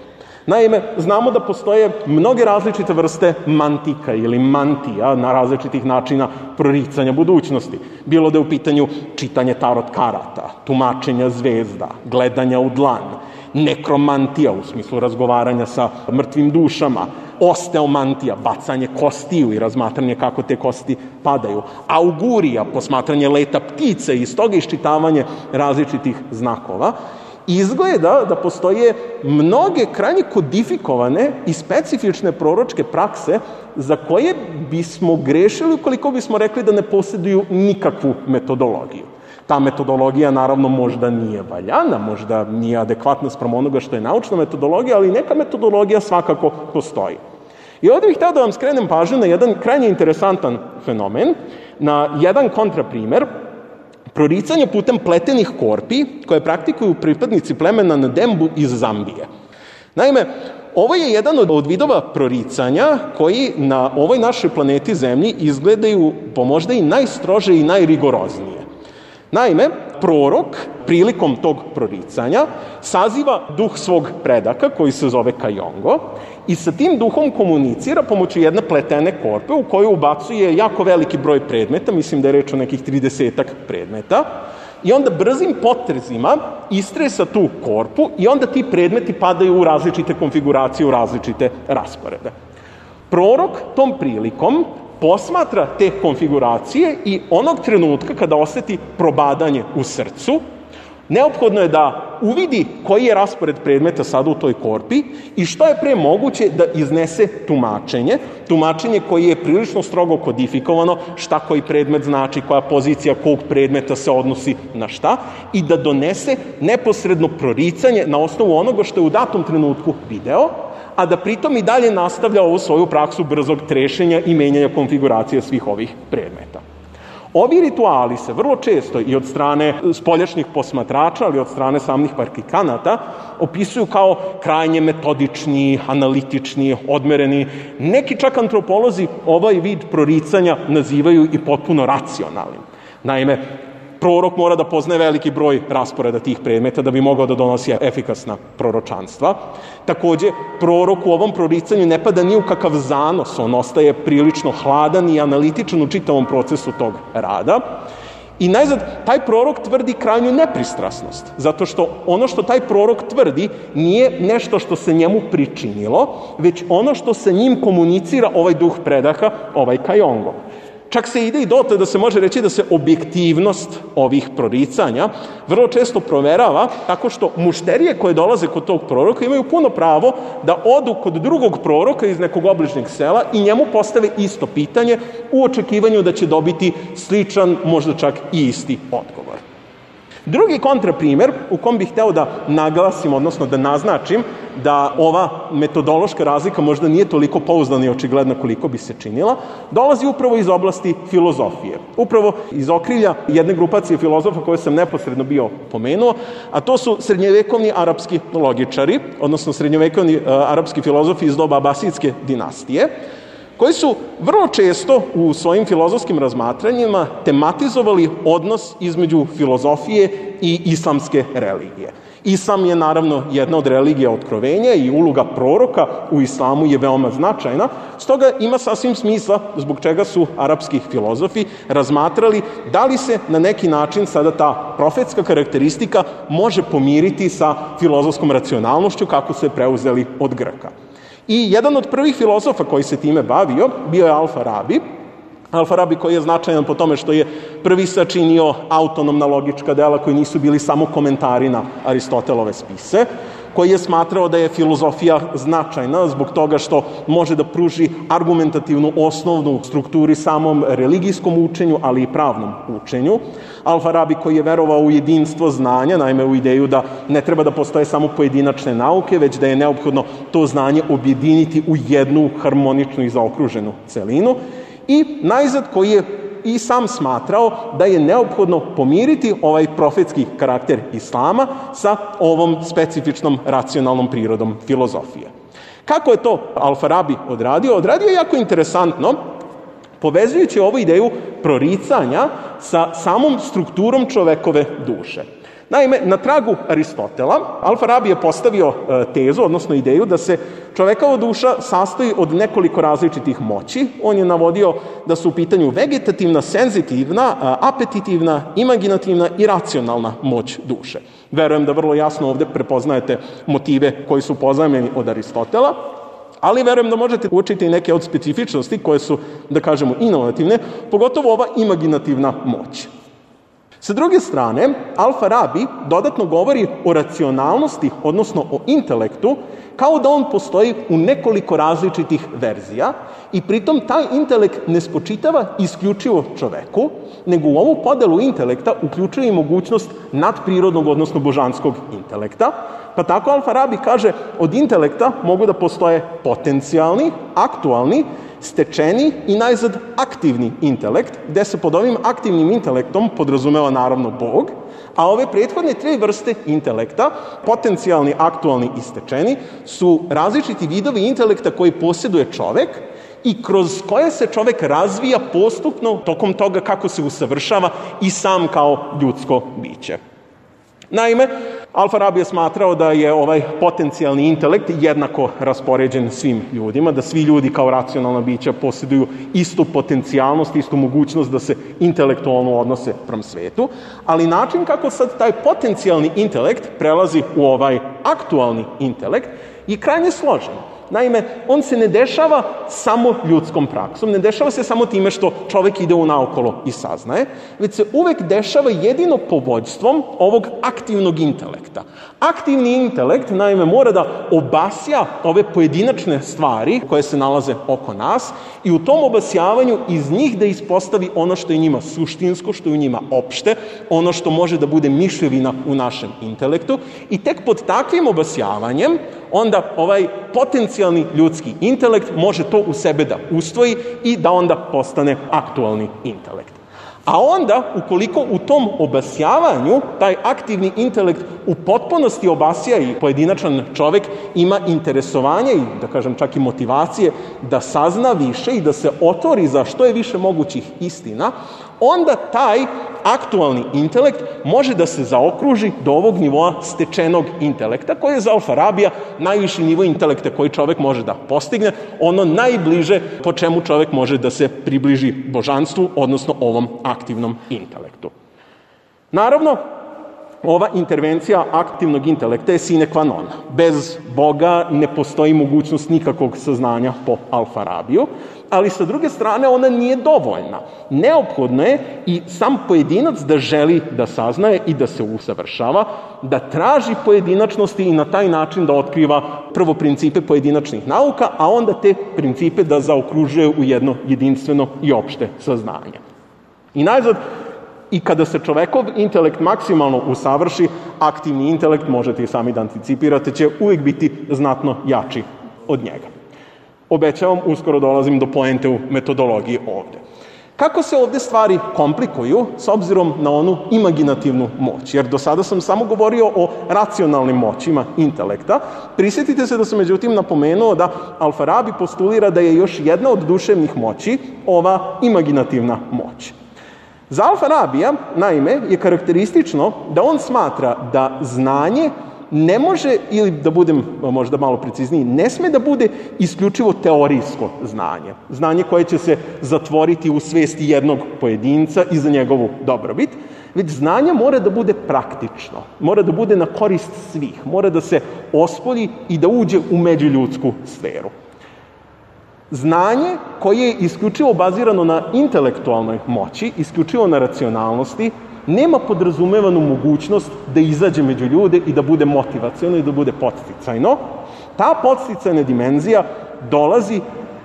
Naime, znamo da postoje mnoge različite vrste mantika ili mantija na različitih načina proricanja budućnosti. Bilo da je u pitanju čitanje tarot karata, tumačenja zvezda, gledanja u dlan, nekromantija u smislu razgovaranja sa mrtvim dušama, osteomantija, bacanje kostiju i razmatranje kako te kosti padaju, augurija, posmatranje leta ptice i iz toga iščitavanje različitih znakova. Izgleda da postoje mnoge krajnje kodifikovane i specifične proročke prakse za koje bismo grešili ukoliko bismo rekli da ne posjeduju nikakvu metodologiju. Ta metodologija naravno možda nije valjana, možda nije adekvatna spram onoga što je naučna metodologija, ali neka metodologija svakako postoji. I ovdje bih htio da vam skrenem pažnju na jedan krajnje interesantan fenomen, na jedan kontraprimer, proricanje putem pletenih korpi koje praktikuju pripadnici plemena Ndembu iz Zambije. Naime, ovo je jedan od vidova proricanja koji na ovoj našoj planeti Zemlji izgledaju po možda i najstrože i najrigoroznije. Naime, prorok prilikom tog proricanja saziva duh svog predaka koji se zove Kajongo i sa tim duhom komunicira pomoću jedne pletene korpe u koju ubacuje jako veliki broj predmeta, mislim da je reč o nekih 30 predmeta, i onda brzim potezima istresa tu korpu i onda ti predmeti padaju u različite konfiguracije, u različite rasporede. Prorok tom prilikom posmatra te konfiguracije i onog trenutka kada oseti probadanje u srcu, neophodno je da uvidi koji je raspored predmeta sada u toj korpi i što je pre moguće da iznese tumačenje koje je prilično strogo kodifikovano, šta koji predmet znači, koja pozicija kog predmeta se odnosi na šta, i da donese neposredno proricanje na osnovu onoga što je u datom trenutku video, a da pritom i dalje nastavlja ovu svoju praksu brzog trešenja i menjanja konfiguracije svih ovih predmeta. Ovi rituali se vrlo često i od strane spoljašnjih posmatrača, ali od strane samih praktikanata, opisuju kao krajnje metodični, analitični, odmereni. Neki čak antropolozi ovaj vid proricanja nazivaju i potpuno racionalnim. Naime, Prorok mora da poznaje veliki broj rasporeda tih predmeta da bi mogao da donosi efikasna proročanstva. Takođe, prorok u ovom proricanju ne pada ni u kakav zanos, on ostaje prilično hladan i analitičan u čitavom procesu tog rada. I najzad, taj prorok tvrdi krajnju nepristrasnost, zato što ono što taj prorok tvrdi nije nešto što se njemu pričinilo, već ono što sa njim komunicira ovaj duh predaha, ovaj Kajongo. Čak se ide i dotle da se može reći da se objektivnost ovih proricanja vrlo često proverava tako što mušterije koje dolaze kod tog proroka imaju puno pravo da odu kod drugog proroka iz nekog obližnjeg sela i njemu postave isto pitanje u očekivanju da će dobiti sličan, možda čak i isti odgovor. Drugi kontraprimer u kom bih hteo da naglasim, odnosno da naznačim da ova metodološka razlika možda nije toliko pouzdana i očigledna koliko bi se činila, dolazi upravo iz oblasti filozofije. Upravo iz okrilja jedne grupacije filozofa koje sam neposredno bio pomenuo, a to su srednjevekovni arapski logičari, odnosno srednjevekovni arapski filozofi iz doba Abasijske dinastije, koji su vrlo često u svojim filozofskim razmatranjima tematizovali odnos između filozofije i islamske religije. Islam je naravno jedna od religija otkrovenja i uloga proroka u islamu je veoma značajna, stoga ima sasvim smisla zbog čega su arapski filozofi razmatrali da li se na neki način sada ta profetska karakteristika može pomiriti sa filozofskom racionalnošću kako su je preuzeli od Grka. I jedan od prvih filozofa koji se time bavio bio je Al-Farabi. Al-Farabi koji je značajan po tome što je prvi sačinio autonomna logička dela koji nisu bili samo komentari na Aristotelove spise, koji je smatrao da je filozofija značajna zbog toga što može da pruži argumentativnu osnovnu strukturi samom religijskom učenju, ali i pravnom učenju. Al-Farabi koji je verovao u jedinstvo znanja, naime u ideju da ne treba da postoje samo pojedinačne nauke, već da je neophodno to znanje objediniti u jednu harmoničnu i zaokruženu celinu. I najzad koji je i sam smatrao da je neophodno pomiriti ovaj profetski karakter islama sa ovom specifičnom racionalnom prirodom filozofije. Kako je to Al-Farabi odradio? Odradio je jako interesantno, povezujući ovu ideju proricanja sa samom strukturom čovekove duše. Naime, na tragu Aristotela, Al-Farabi je postavio tezu, odnosno ideju, da se čovekova duša sastoji od nekoliko različitih moći. On je navodio da su u pitanju vegetativna, senzitivna, apetitivna, imaginativna i racionalna moć duše. Verujem da vrlo jasno ovde prepoznajete motive koji su pozajmljeni od Aristotela, ali verujem da možete učiti i neke od specifičnosti koje su, da kažemo, inovativne, pogotovo ova imaginativna moć. Sa druge strane, Al-Farabi dodatno govori o racionalnosti, odnosno o intelektu, kao da on postoji u nekoliko različitih verzija i pritom taj intelekt ne spočitava isključivo čoveku, nego u ovu podelu intelekta uključuje i mogućnost nadprirodnog, odnosno božanskog intelekta. Pa tako Al-Farabi kaže, od intelekta mogu da postoje potencijalni, aktualni, stečeni i najzad aktivni intelekt, gde se pod ovim aktivnim intelektom podrazumeva naravno Bog, a ove prethodne tri vrste intelekta, potencijalni, aktualni i stečeni, su različiti vidovi intelekta koji posjeduje čovek i kroz koje se čovek razvija postupno tokom toga kako se usavršava i sam kao ljudsko biće. Naime, Al-Farabi je smatrao da je ovaj potencijalni intelekt jednako raspoređen svim ljudima, da svi ljudi kao racionalna bića posjeduju istu potencijalnost, istu mogućnost da se intelektualno odnose prema svetu, ali način kako sad taj potencijalni intelekt prelazi u ovaj aktualni intelekt je krajnje složen. Naime, on se ne dešava samo ljudskom praksom, ne dešava se samo time što čovek ide unaokolo i saznaje, već se uvek dešava jedino povođstvom ovog aktivnog intelekta. Aktivni intelekt, naime, mora da obasja ove pojedinačne stvari koje se nalaze oko nas i u tom obasjavanju iz njih da ispostavi ono što je njima suštinsko, što je u njima opšte, ono što može da bude mišljevina u našem intelektu i tek pod takvim obasjavanjem onda ovaj potencijalni ljudski intelekt može to u sebe da ustvoji i da onda postane aktualni intelekt. A onda, ukoliko u tom obasjavanju taj aktivni intelekt u potpunosti obasja i pojedinačan čovek ima interesovanje i, da kažem, čak i motivacije da sazna više i da se otvori za što je više mogućih istina, onda taj aktualni intelekt može da se zaokruži do ovog nivoa stečenog intelekta, koji je za Al-Farabija najviši nivo intelekta koji čovek može da postigne, ono najbliže po čemu čovek može da se približi božanstvu, odnosno ovom aktivnom intelektu. Naravno, ova intervencija aktivnog intelekta je sine qua non. Bez Boga ne postoji mogućnost nikakvog saznanja po Al-Farabiju, ali sa druge strane ona nije dovoljna. Neophodno je i sam pojedinac da želi da saznaje i da se usavršava, da traži pojedinačnosti i na taj način da otkriva prvo principe pojedinačnih nauka, a onda te principe da zaokružuje u jedno jedinstveno i opšte saznanje. I najzad, i kada se čovekov intelekt maksimalno usavrši, aktivni intelekt, možete i sami da anticipirate, će uvijek biti znatno jači od njega. Obećavam, uskoro dolazim do poente u metodologiji ovde. Kako se ovde stvari komplikuju s obzirom na onu imaginativnu moć? Jer do sada sam samo govorio o racionalnim moćima intelekta. Prisjetite se da sam međutim napomenuo da Al-Farabi postulira da je još jedna od duševnih moći ova imaginativna moć. Za Al-Farabija, naime, je karakteristično da on smatra da znanje ne može, ili da budem možda malo precizniji, ne sme da bude isključivo teorijsko znanje. Znanje koje će se zatvoriti u svesti jednog pojedinca i za njegovu dobrobit, već znanje mora da bude praktično, mora da bude na korist svih, mora da se ospolji i da uđe u međuljudsku sferu. Znanje koje je isključivo bazirano na intelektualnoj moći, isključivo na racionalnosti, nema podrazumevanu mogućnost da izađe među ljude i da bude motivaciono i da bude podsticajno. Ta podsticajna dimenzija dolazi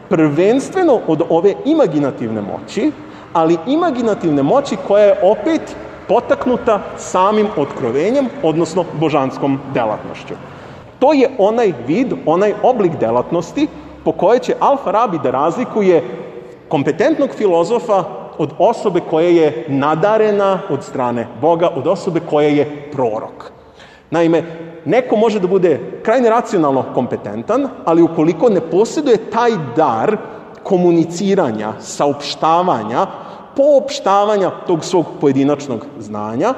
prvenstveno od ove imaginativne moći, ali imaginativne moći koja je opet potaknuta samim otkrovenjem, odnosno božanskom delatnošću. To je onaj vid, onaj oblik delatnosti po kojoj će Al-Farabi da razlikuje kompetentnog filozofa od osobe koja je nadarena od strane Boga, od osobe koja je prorok. Naime, neko može da bude krajne racionalno kompetentan, ali ukoliko ne posjeduje taj dar komuniciranja, saopštavanja, poopštavanja tog svog pojedinačnog znanja,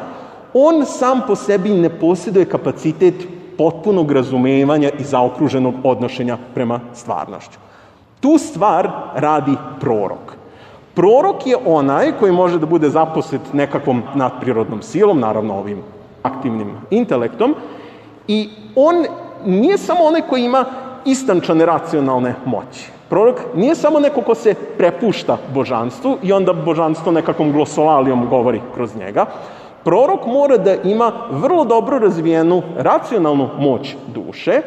on sam po sebi ne posjeduje kapacitet potpunog razumevanja i zaokruženog odnošenja prema stvarnošću. Tu stvar radi prorok. Prorok je onaj koji može da bude zaposlet nekakvom nadprirodnom silom, naravno ovim aktivnim intelektom, i on nije samo onaj koji ima istančane racionalne moći. Prorok nije samo neko ko se prepušta božanstvu i onda božanstvo nekakvom glosolalijom govori kroz njega. Prorok mora da ima vrlo dobro razvijenu racionalnu moć duše,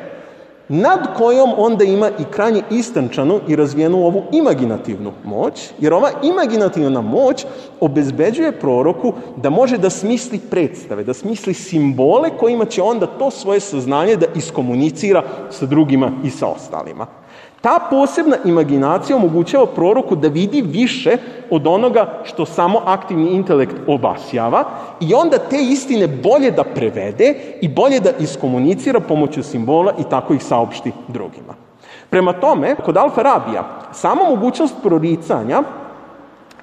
nad kojom onda ima i krajnje istančanu i razvijenu ovu imaginativnu moć, jer ova imaginativna moć obezbeđuje proroku da može da smisli predstave, da smisli simbole kojima će onda to svoje saznanje da iskomunicira sa drugima i sa ostalima. Ta posebna imaginacija omogućava proroku da vidi više od onoga što samo aktivni intelekt obasjava i onda te istine bolje da prevede i bolje da iskomunicira pomoću simbola i tako ih saopšti drugima. Prema tome, kod Al-Farabija, sama mogućnost proricanja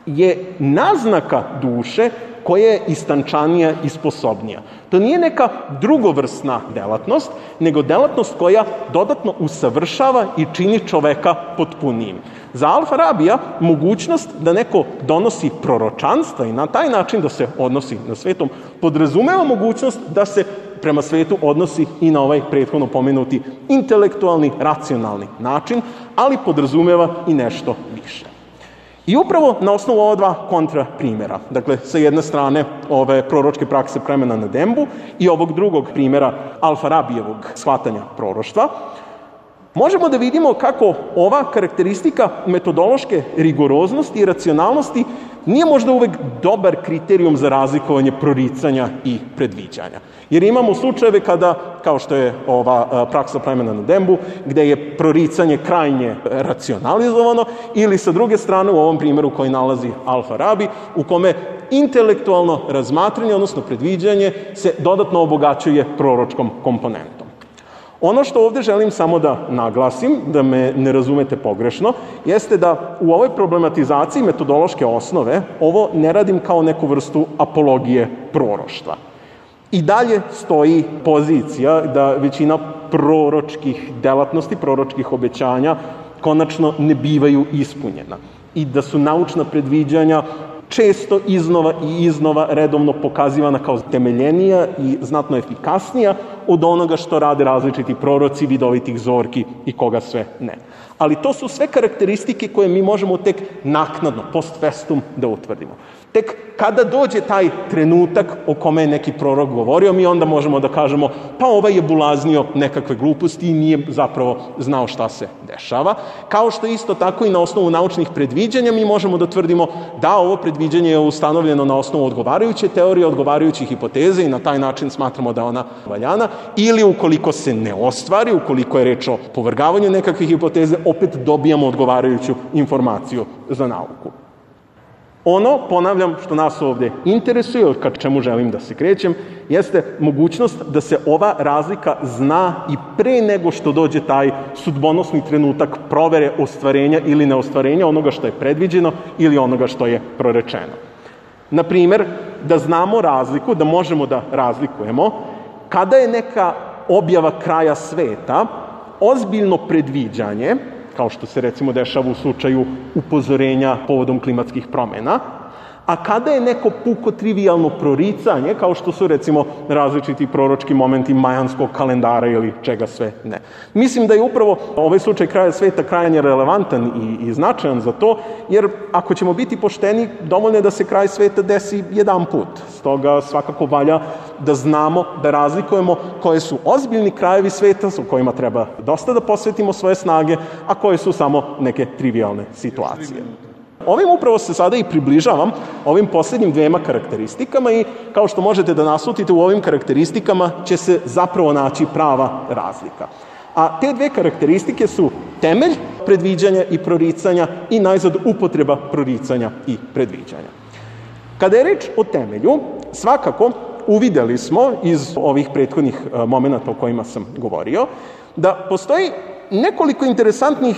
je naznaka duše koja je istančanija i sposobnija. To nije neka drugovrsna delatnost, nego delatnost koja dodatno usavršava i čini čoveka potpunijim. Za Al-Farabija mogućnost da neko donosi proročanstva i na taj način da se odnosi na svetom podrazumeva mogućnost da se prema svetu odnosi i na ovaj prethodno pomenuti intelektualni, racionalni način, ali podrazumeva i nešto više. I upravo na osnovu ova dva kontra primjera, dakle, sa jedne strane ove proročke prakse plemena na Dembu i ovog drugog primjera Al-Farabijevog shvatanja proroštva, možemo da vidimo kako ova karakteristika metodološke rigoroznosti i racionalnosti nije možda uvek dobar kriterijum za razlikovanje proricanja i predviđanja. Jer imamo slučajeve kada, kao što je ova praksa plemena na Dembu, gde je proricanje krajnje racionalizovano, ili sa druge strane u ovom primjeru koji nalazi Al-Farabi, u kome intelektualno razmatranje, odnosno predviđanje, se dodatno obogaćuje proročkom komponentom. Ono što ovde želim samo da naglasim, da me ne razumete pogrešno, jeste da u ovoj problematizaciji metodološke osnove ovo ne radim kao neku vrstu apologije proroštva. I dalje stoji pozicija da većina proročkih delatnosti, proročkih obećanja konačno ne bivaju ispunjena i da su naučna predviđanja često iznova i iznova redovno pokazivana kao temeljenija i znatno efikasnija od onoga što rade različiti proroci, vidovitih zorki i koga sve ne. Ali to su sve karakteristike koje mi možemo tek naknadno, post festum, da utvrdimo. Tek kada dođe taj trenutak o kome je neki prorok govorio, mi onda možemo da kažemo pa ovaj je bulaznio nekakve gluposti i nije zapravo znao šta se dešava. Kao što isto tako i na osnovu naučnih predviđanja mi možemo da tvrdimo da ovo predviđanje je ustanovljeno na osnovu odgovarajuće teorije, odgovarajuće hipoteze i na taj način smatramo da je ona valjana, ili ukoliko se ne ostvari, ukoliko je reč o povrgavanju nekakve hipoteze, opet dobijamo odgovarajuću informaciju za nauku. Ono, ponavljam, što nas ovde interesuje, ka čemu želim da se krećem, jeste mogućnost da se ova razlika zna i pre nego što dođe taj sudbonosni trenutak provere ostvarenja ili neostvarenja onoga što je predviđeno ili onoga što je prorečeno. Na primer, da znamo razliku, da možemo da razlikujemo kada je neka objava kraja sveta ozbiljno predviđanje, kao što se recimo dešava u slučaju upozorenja povodom klimatskih promena, a kada je neko puko trivialno proricanje, kao što su recimo različiti proročki momenti majanskog kalendara ili čega sve ne. Mislim da je upravo ovaj slučaj kraja sveta krajnje relevantan i značajan za to, jer ako ćemo biti pošteni, dovoljno je da se kraj sveta desi jedan put. Stoga svakako valja da znamo, da razlikujemo koje su ozbiljni krajevi sveta, u kojima treba dosta da posvetimo svoje snage, a koje su samo neke trivialne situacije. Ovim upravo se sada i približavam ovim posljednjim dvema karakteristikama i kao što možete da naslutite u ovim karakteristikama će se zapravo naći prava razlika. A te dve karakteristike su temelj predviđanja i proricanja i najzad upotreba proricanja i predviđanja. Kada je reč o temelju, svakako uvideli smo iz ovih prethodnih momenata o kojima sam govorio, da postoji nekoliko interesantnih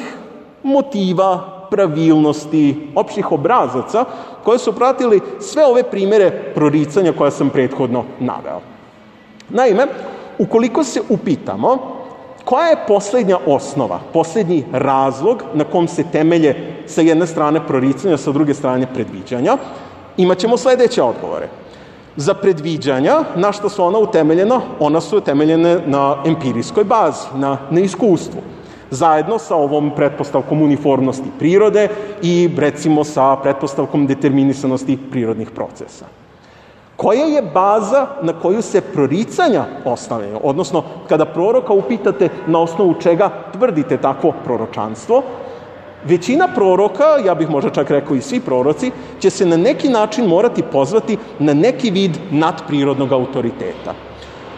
motiva, pravilnosti, opštih obrazaca koje su pratili sve ove primere proricanja koja sam prethodno naveo. Naime, ukoliko se upitamo koja je poslednja osnova, poslednji razlog na kom se temelje sa jedne strane proricanja, sa druge strane predviđanja, imaćemo sledeće odgovore. Za predviđanja, na što su ona utemeljena? Ona su utemeljene na empirijskoj bazi, na iskustvu. Zajedno sa ovom pretpostavkom uniformnosti prirode i recimo sa pretpostavkom determinisanosti prirodnih procesa. Koja je baza na koju se proricanja ostavljaju? Odnosno, kada proroka upitate na osnovu čega tvrdite takvo proročanstvo, većina proroka, ja bih možda čak rekao i svi proroci, će se na neki način morati pozvati na neki vid nadprirodnog autoriteta.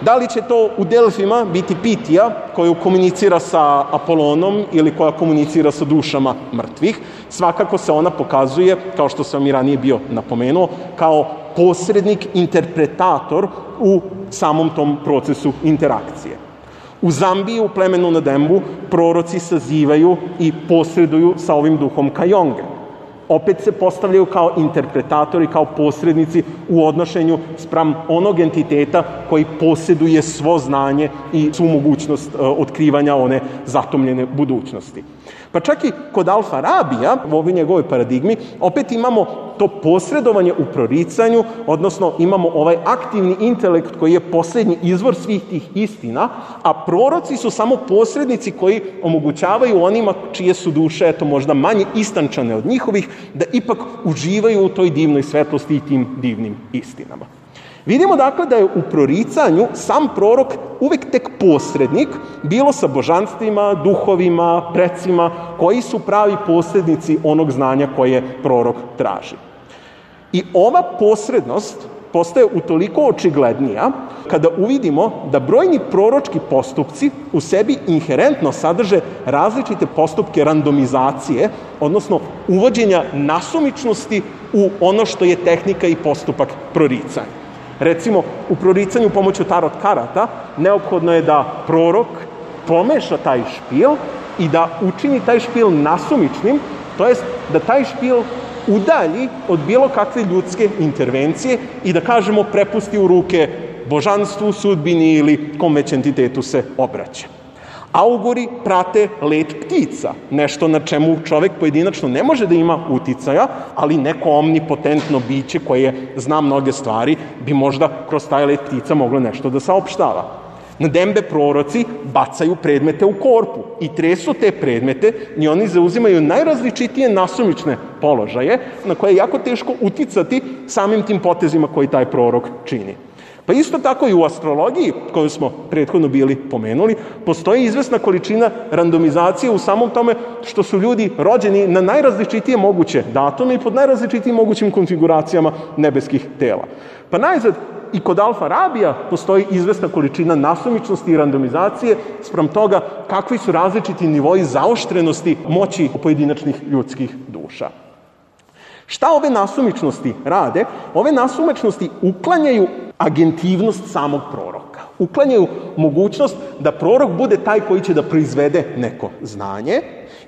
Da li će to u Delfima biti Pitija koja komunicira sa Apolonom ili koja komunicira sa dušama mrtvih? Svakako se ona pokazuje, kao što sam i ranije bio napomenuo, kao posrednik, interpretator u samom tom procesu interakcije. U Zambiji, u plemenu Nadembu, proroci sazivaju i posreduju sa ovim duhom Kajonge. Opet se postavljaju kao interpretatori, kao posrednici u odnošenju spram onog entiteta koji posjeduje svo znanje i svu mogućnost otkrivanja one zatomljene budućnosti. Pa čak i kod Al-Farabija, u ovoj njegovoj paradigmi, opet imamo to posredovanje u proricanju, odnosno imamo ovaj aktivni intelekt koji je posljednji izvor svih tih istina, a proroci su samo posrednici koji omogućavaju onima čije su duše, eto možda manje istančane od njihovih, da ipak uživaju u toj divnoj svetlosti i tim divnim istinama. Vidimo dakle da je u proricanju sam prorok uvek tek posrednik, bilo sa božanstvima, duhovima, precima, koji su pravi posrednici onog znanja koje prorok traži. I ova posrednost postaje utoliko očiglednija kada uvidimo da brojni proročki postupci u sebi inherentno sadrže različite postupke randomizacije, odnosno uvođenja nasumičnosti u ono što je tehnika i postupak proricanja. Recimo, u proricanju pomoću tarot karata neophodno je da prorok pomeša taj špil i da učini taj špil nasumičnim, to jest da taj špil udalji od bilo kakve ljudske intervencije i da kažemo prepusti u ruke božanstvu, sudbini ili kom već entitetu se obraća. Auguri prate let ptica, nešto na čemu čovek pojedinačno ne može da ima uticaja, ali neko omnipotentno biće koje zna mnoge stvari bi možda kroz taj let ptica moglo nešto da saopštava. Na dembe proroci bacaju predmete u korpu i tresu te predmete i oni zauzimaju najrazličitije nasumične položaje na koje je jako teško uticati samim tim potezima koji taj prorok čini. Pa isto tako i u astrologiji, koju smo prethodno bili pomenuli, postoji izvesna količina randomizacije u samom tome što su ljudi rođeni na najrazličitije moguće datume i pod najrazličitijim mogućim konfiguracijama nebeskih tela. Pa najzad i kod Alfa Rabija postoji izvesna količina nasumičnosti i randomizacije spram toga kakvi su različiti nivoji zaoštrenosti moći pojedinačnih ljudskih duša. Šta ove nasumičnosti rade? Ove nasumičnosti uklanjaju agentivnost samog proroka. Uklanjaju mogućnost da prorok bude taj koji će da proizvede neko znanje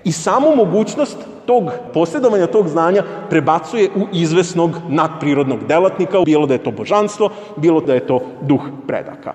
i samu mogućnost tog posjedovanja tog znanja prebacuje u izvesnog nadprirodnog delatnika, bilo da je to božanstvo, bilo da je to duh predaka.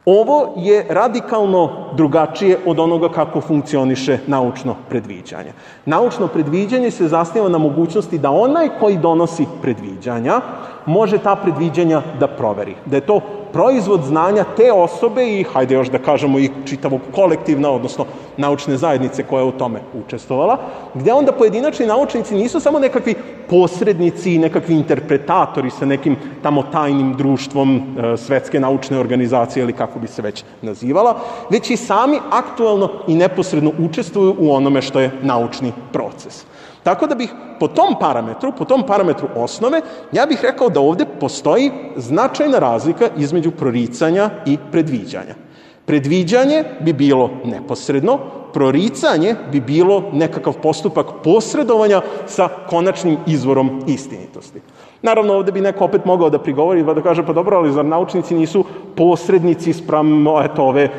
Ovo je radikalno drugačije od onoga kako funkcioniše naučno predviđanje. Naučno predviđanje se zasniva na mogućnosti da onaj koji donosi predviđanja može ta predviđanja da proveri. Da je to proizvod znanja te osobe i, hajde još da kažemo, i čitavog kolektivna, odnosno naučne zajednice koja je u tome učestvovala, gde onda pojedinačni naučnici nisu samo nekakvi posrednici i nekakvi interpretatori sa nekim tamo tajnim društvom svetske naučne organizacije ili kako bi se već nazivala, već i sami aktualno i neposredno učestvuju u onome što je naučni proces. Tako da bih po tom parametru osnove, ja bih rekao da ovde postoji značajna razlika između proricanja i predviđanja. Predviđanje bi bilo neposredno, proricanje bi bilo nekakav postupak posredovanja sa konačnim izvorom istinitosti. Naravno, ovde bi neko opet mogao da prigovori, da kaže, pa dobro, ali zar naučnici nisu posrednici spram ove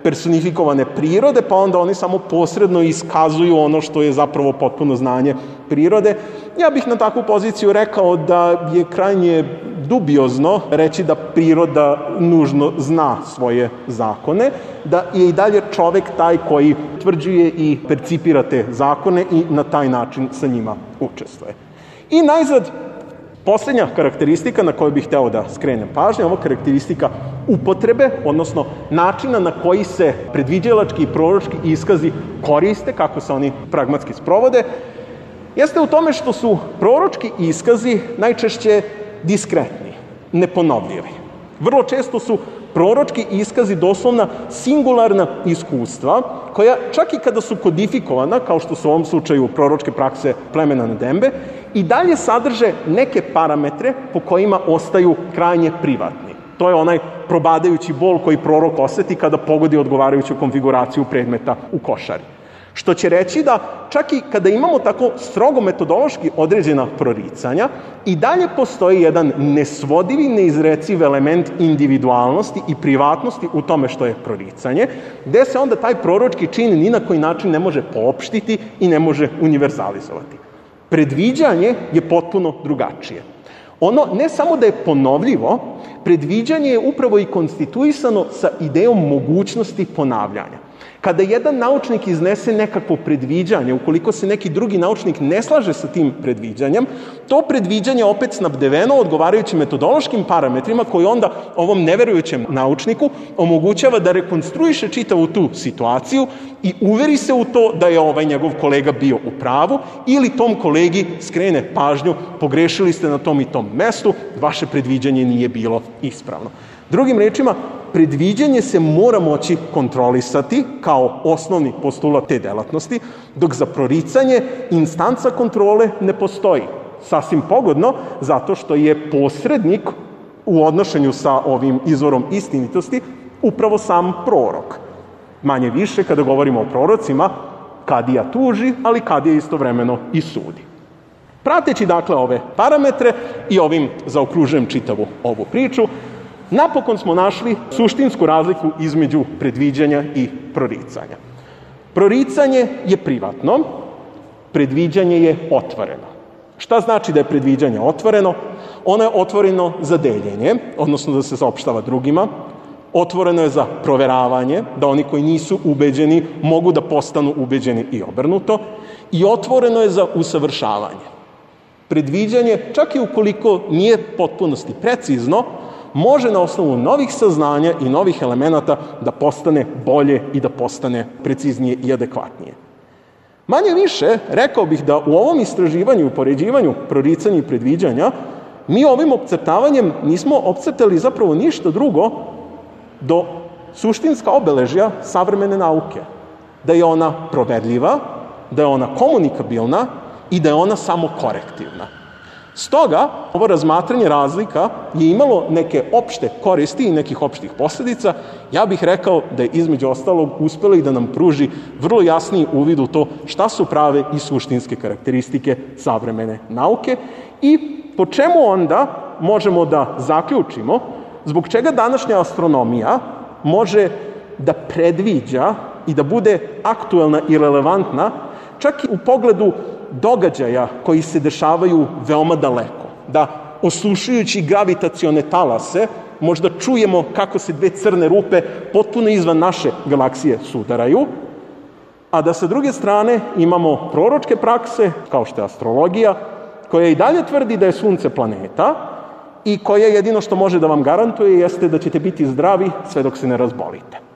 personifikovane prirode, pa onda oni samo posredno iskazuju ono što je zapravo potpuno znanje prirode. Ja bih na takvu poziciju rekao da je krajnje dubiozno reći da priroda nužno zna svoje zakone, da je i dalje čovek taj koji utvrđuje i percipira te zakone i na taj način sa njima učestvuje. I najzad, poslednja karakteristika na koju bih hteo da skrenem pažnju, ovo karakteristika upotrebe, odnosno načina na koji se predviđalački i proročki iskazi koriste, kako se oni pragmatski sprovode, jeste u tome što su proročki iskazi najčešće diskretni, neponovljivi. Vrlo često su proročki iskazi doslovna singularna iskustva, koja čak i kada su kodifikovana, kao što su u ovom slučaju proročke prakse plemena Nadembe, i dalje sadrže neke parametre po kojima ostaju krajnje privatni. To je onaj probadajući bol koji prorok oseti kada pogodi odgovarajuću konfiguraciju predmeta u košari. Što će reći da čak i kada imamo tako strogo metodološki određena proricanja, i dalje postoji jedan nesvodivi, neizreciv element individualnosti i privatnosti u tome što je proricanje, gde se onda taj proročki čin ni na koji način ne može poopštiti i ne može univerzalizovati. Predviđanje je potpuno drugačije. Ono ne samo da je ponovljivo, predviđanje je upravo i konstituisano sa idejom mogućnosti ponavljanja. Kada jedan naučnik iznese nekakvo predviđanje, ukoliko se neki drugi naučnik ne slaže sa tim predviđanjem, to predviđanje opet snabdeveno odgovarajućim metodološkim parametrima koji onda ovom neverujućem naučniku omogućava da rekonstruiše čitavu tu situaciju i uveri se u to da je ovaj njegov kolega bio u pravu ili tom kolegi skrene pažnju, pogrešili ste na tom i tom mestu, vaše predviđanje nije bilo ispravno. Drugim rečima, predviđanje se mora moći kontrolisati kao osnovni postulat te delatnosti, dok za proricanje instanca kontrole ne postoji. Sasvim pogodno, zato što je posrednik u odnošenju sa ovim izvorom istinitosti upravo sam prorok. Manje više, kada govorimo o prorocima, kadija tuži, ali kadija istovremeno i sudi. Prateći dakle ove parametre i ovim zaokružujem čitavu ovu priču, Napokon smo našli suštinsku razliku između predviđanja i proricanja. Proricanje je privatno, predviđanje je otvoreno. Šta znači da je predviđanje otvoreno? Ono je otvoreno za deljenje, odnosno da se saopštava drugima, otvoreno je za proveravanje, da oni koji nisu ubeđeni mogu da postanu ubeđeni i obrnuto, i otvoreno je za usavršavanje. Predviđanje, čak i ukoliko nije potpunosti precizno, može na osnovu novih saznanja i novih elemenata da postane bolje i da postane preciznije i adekvatnije. Manje više, rekao bih da u ovom istraživanju i upoređivanju proricanja i predviđanja mi ovim opcrtavanjem nismo opcrtali zapravo ništa drugo do suštinska obeležja savremene nauke. Da je ona proverljiva, da je ona komunikabilna i da je ona samokorektivna. Stoga, ovo razmatranje razlika je imalo neke opšte koristi i nekih opštih posledica. Ja bih rekao da je između ostalog uspelo i da nam pruži vrlo jasniji uvid u to šta su prave i suštinske karakteristike savremene nauke i po čemu onda možemo da zaključimo zbog čega današnja astronomija može da predviđa i da bude aktuelna i relevantna čak i u pogledu događaja koji se dešavaju veoma daleko. Da, oslušujući gravitacione talase, možda čujemo kako se dve crne rupe potpuno izvan naše galaksije sudaraju, a da sa druge strane imamo proročke prakse, kao što je astrologija, koja i dalje tvrdi da je Sunce planeta i koja jedino što može da vam garantuje jeste da ćete biti zdravi sve dok se ne razbolite.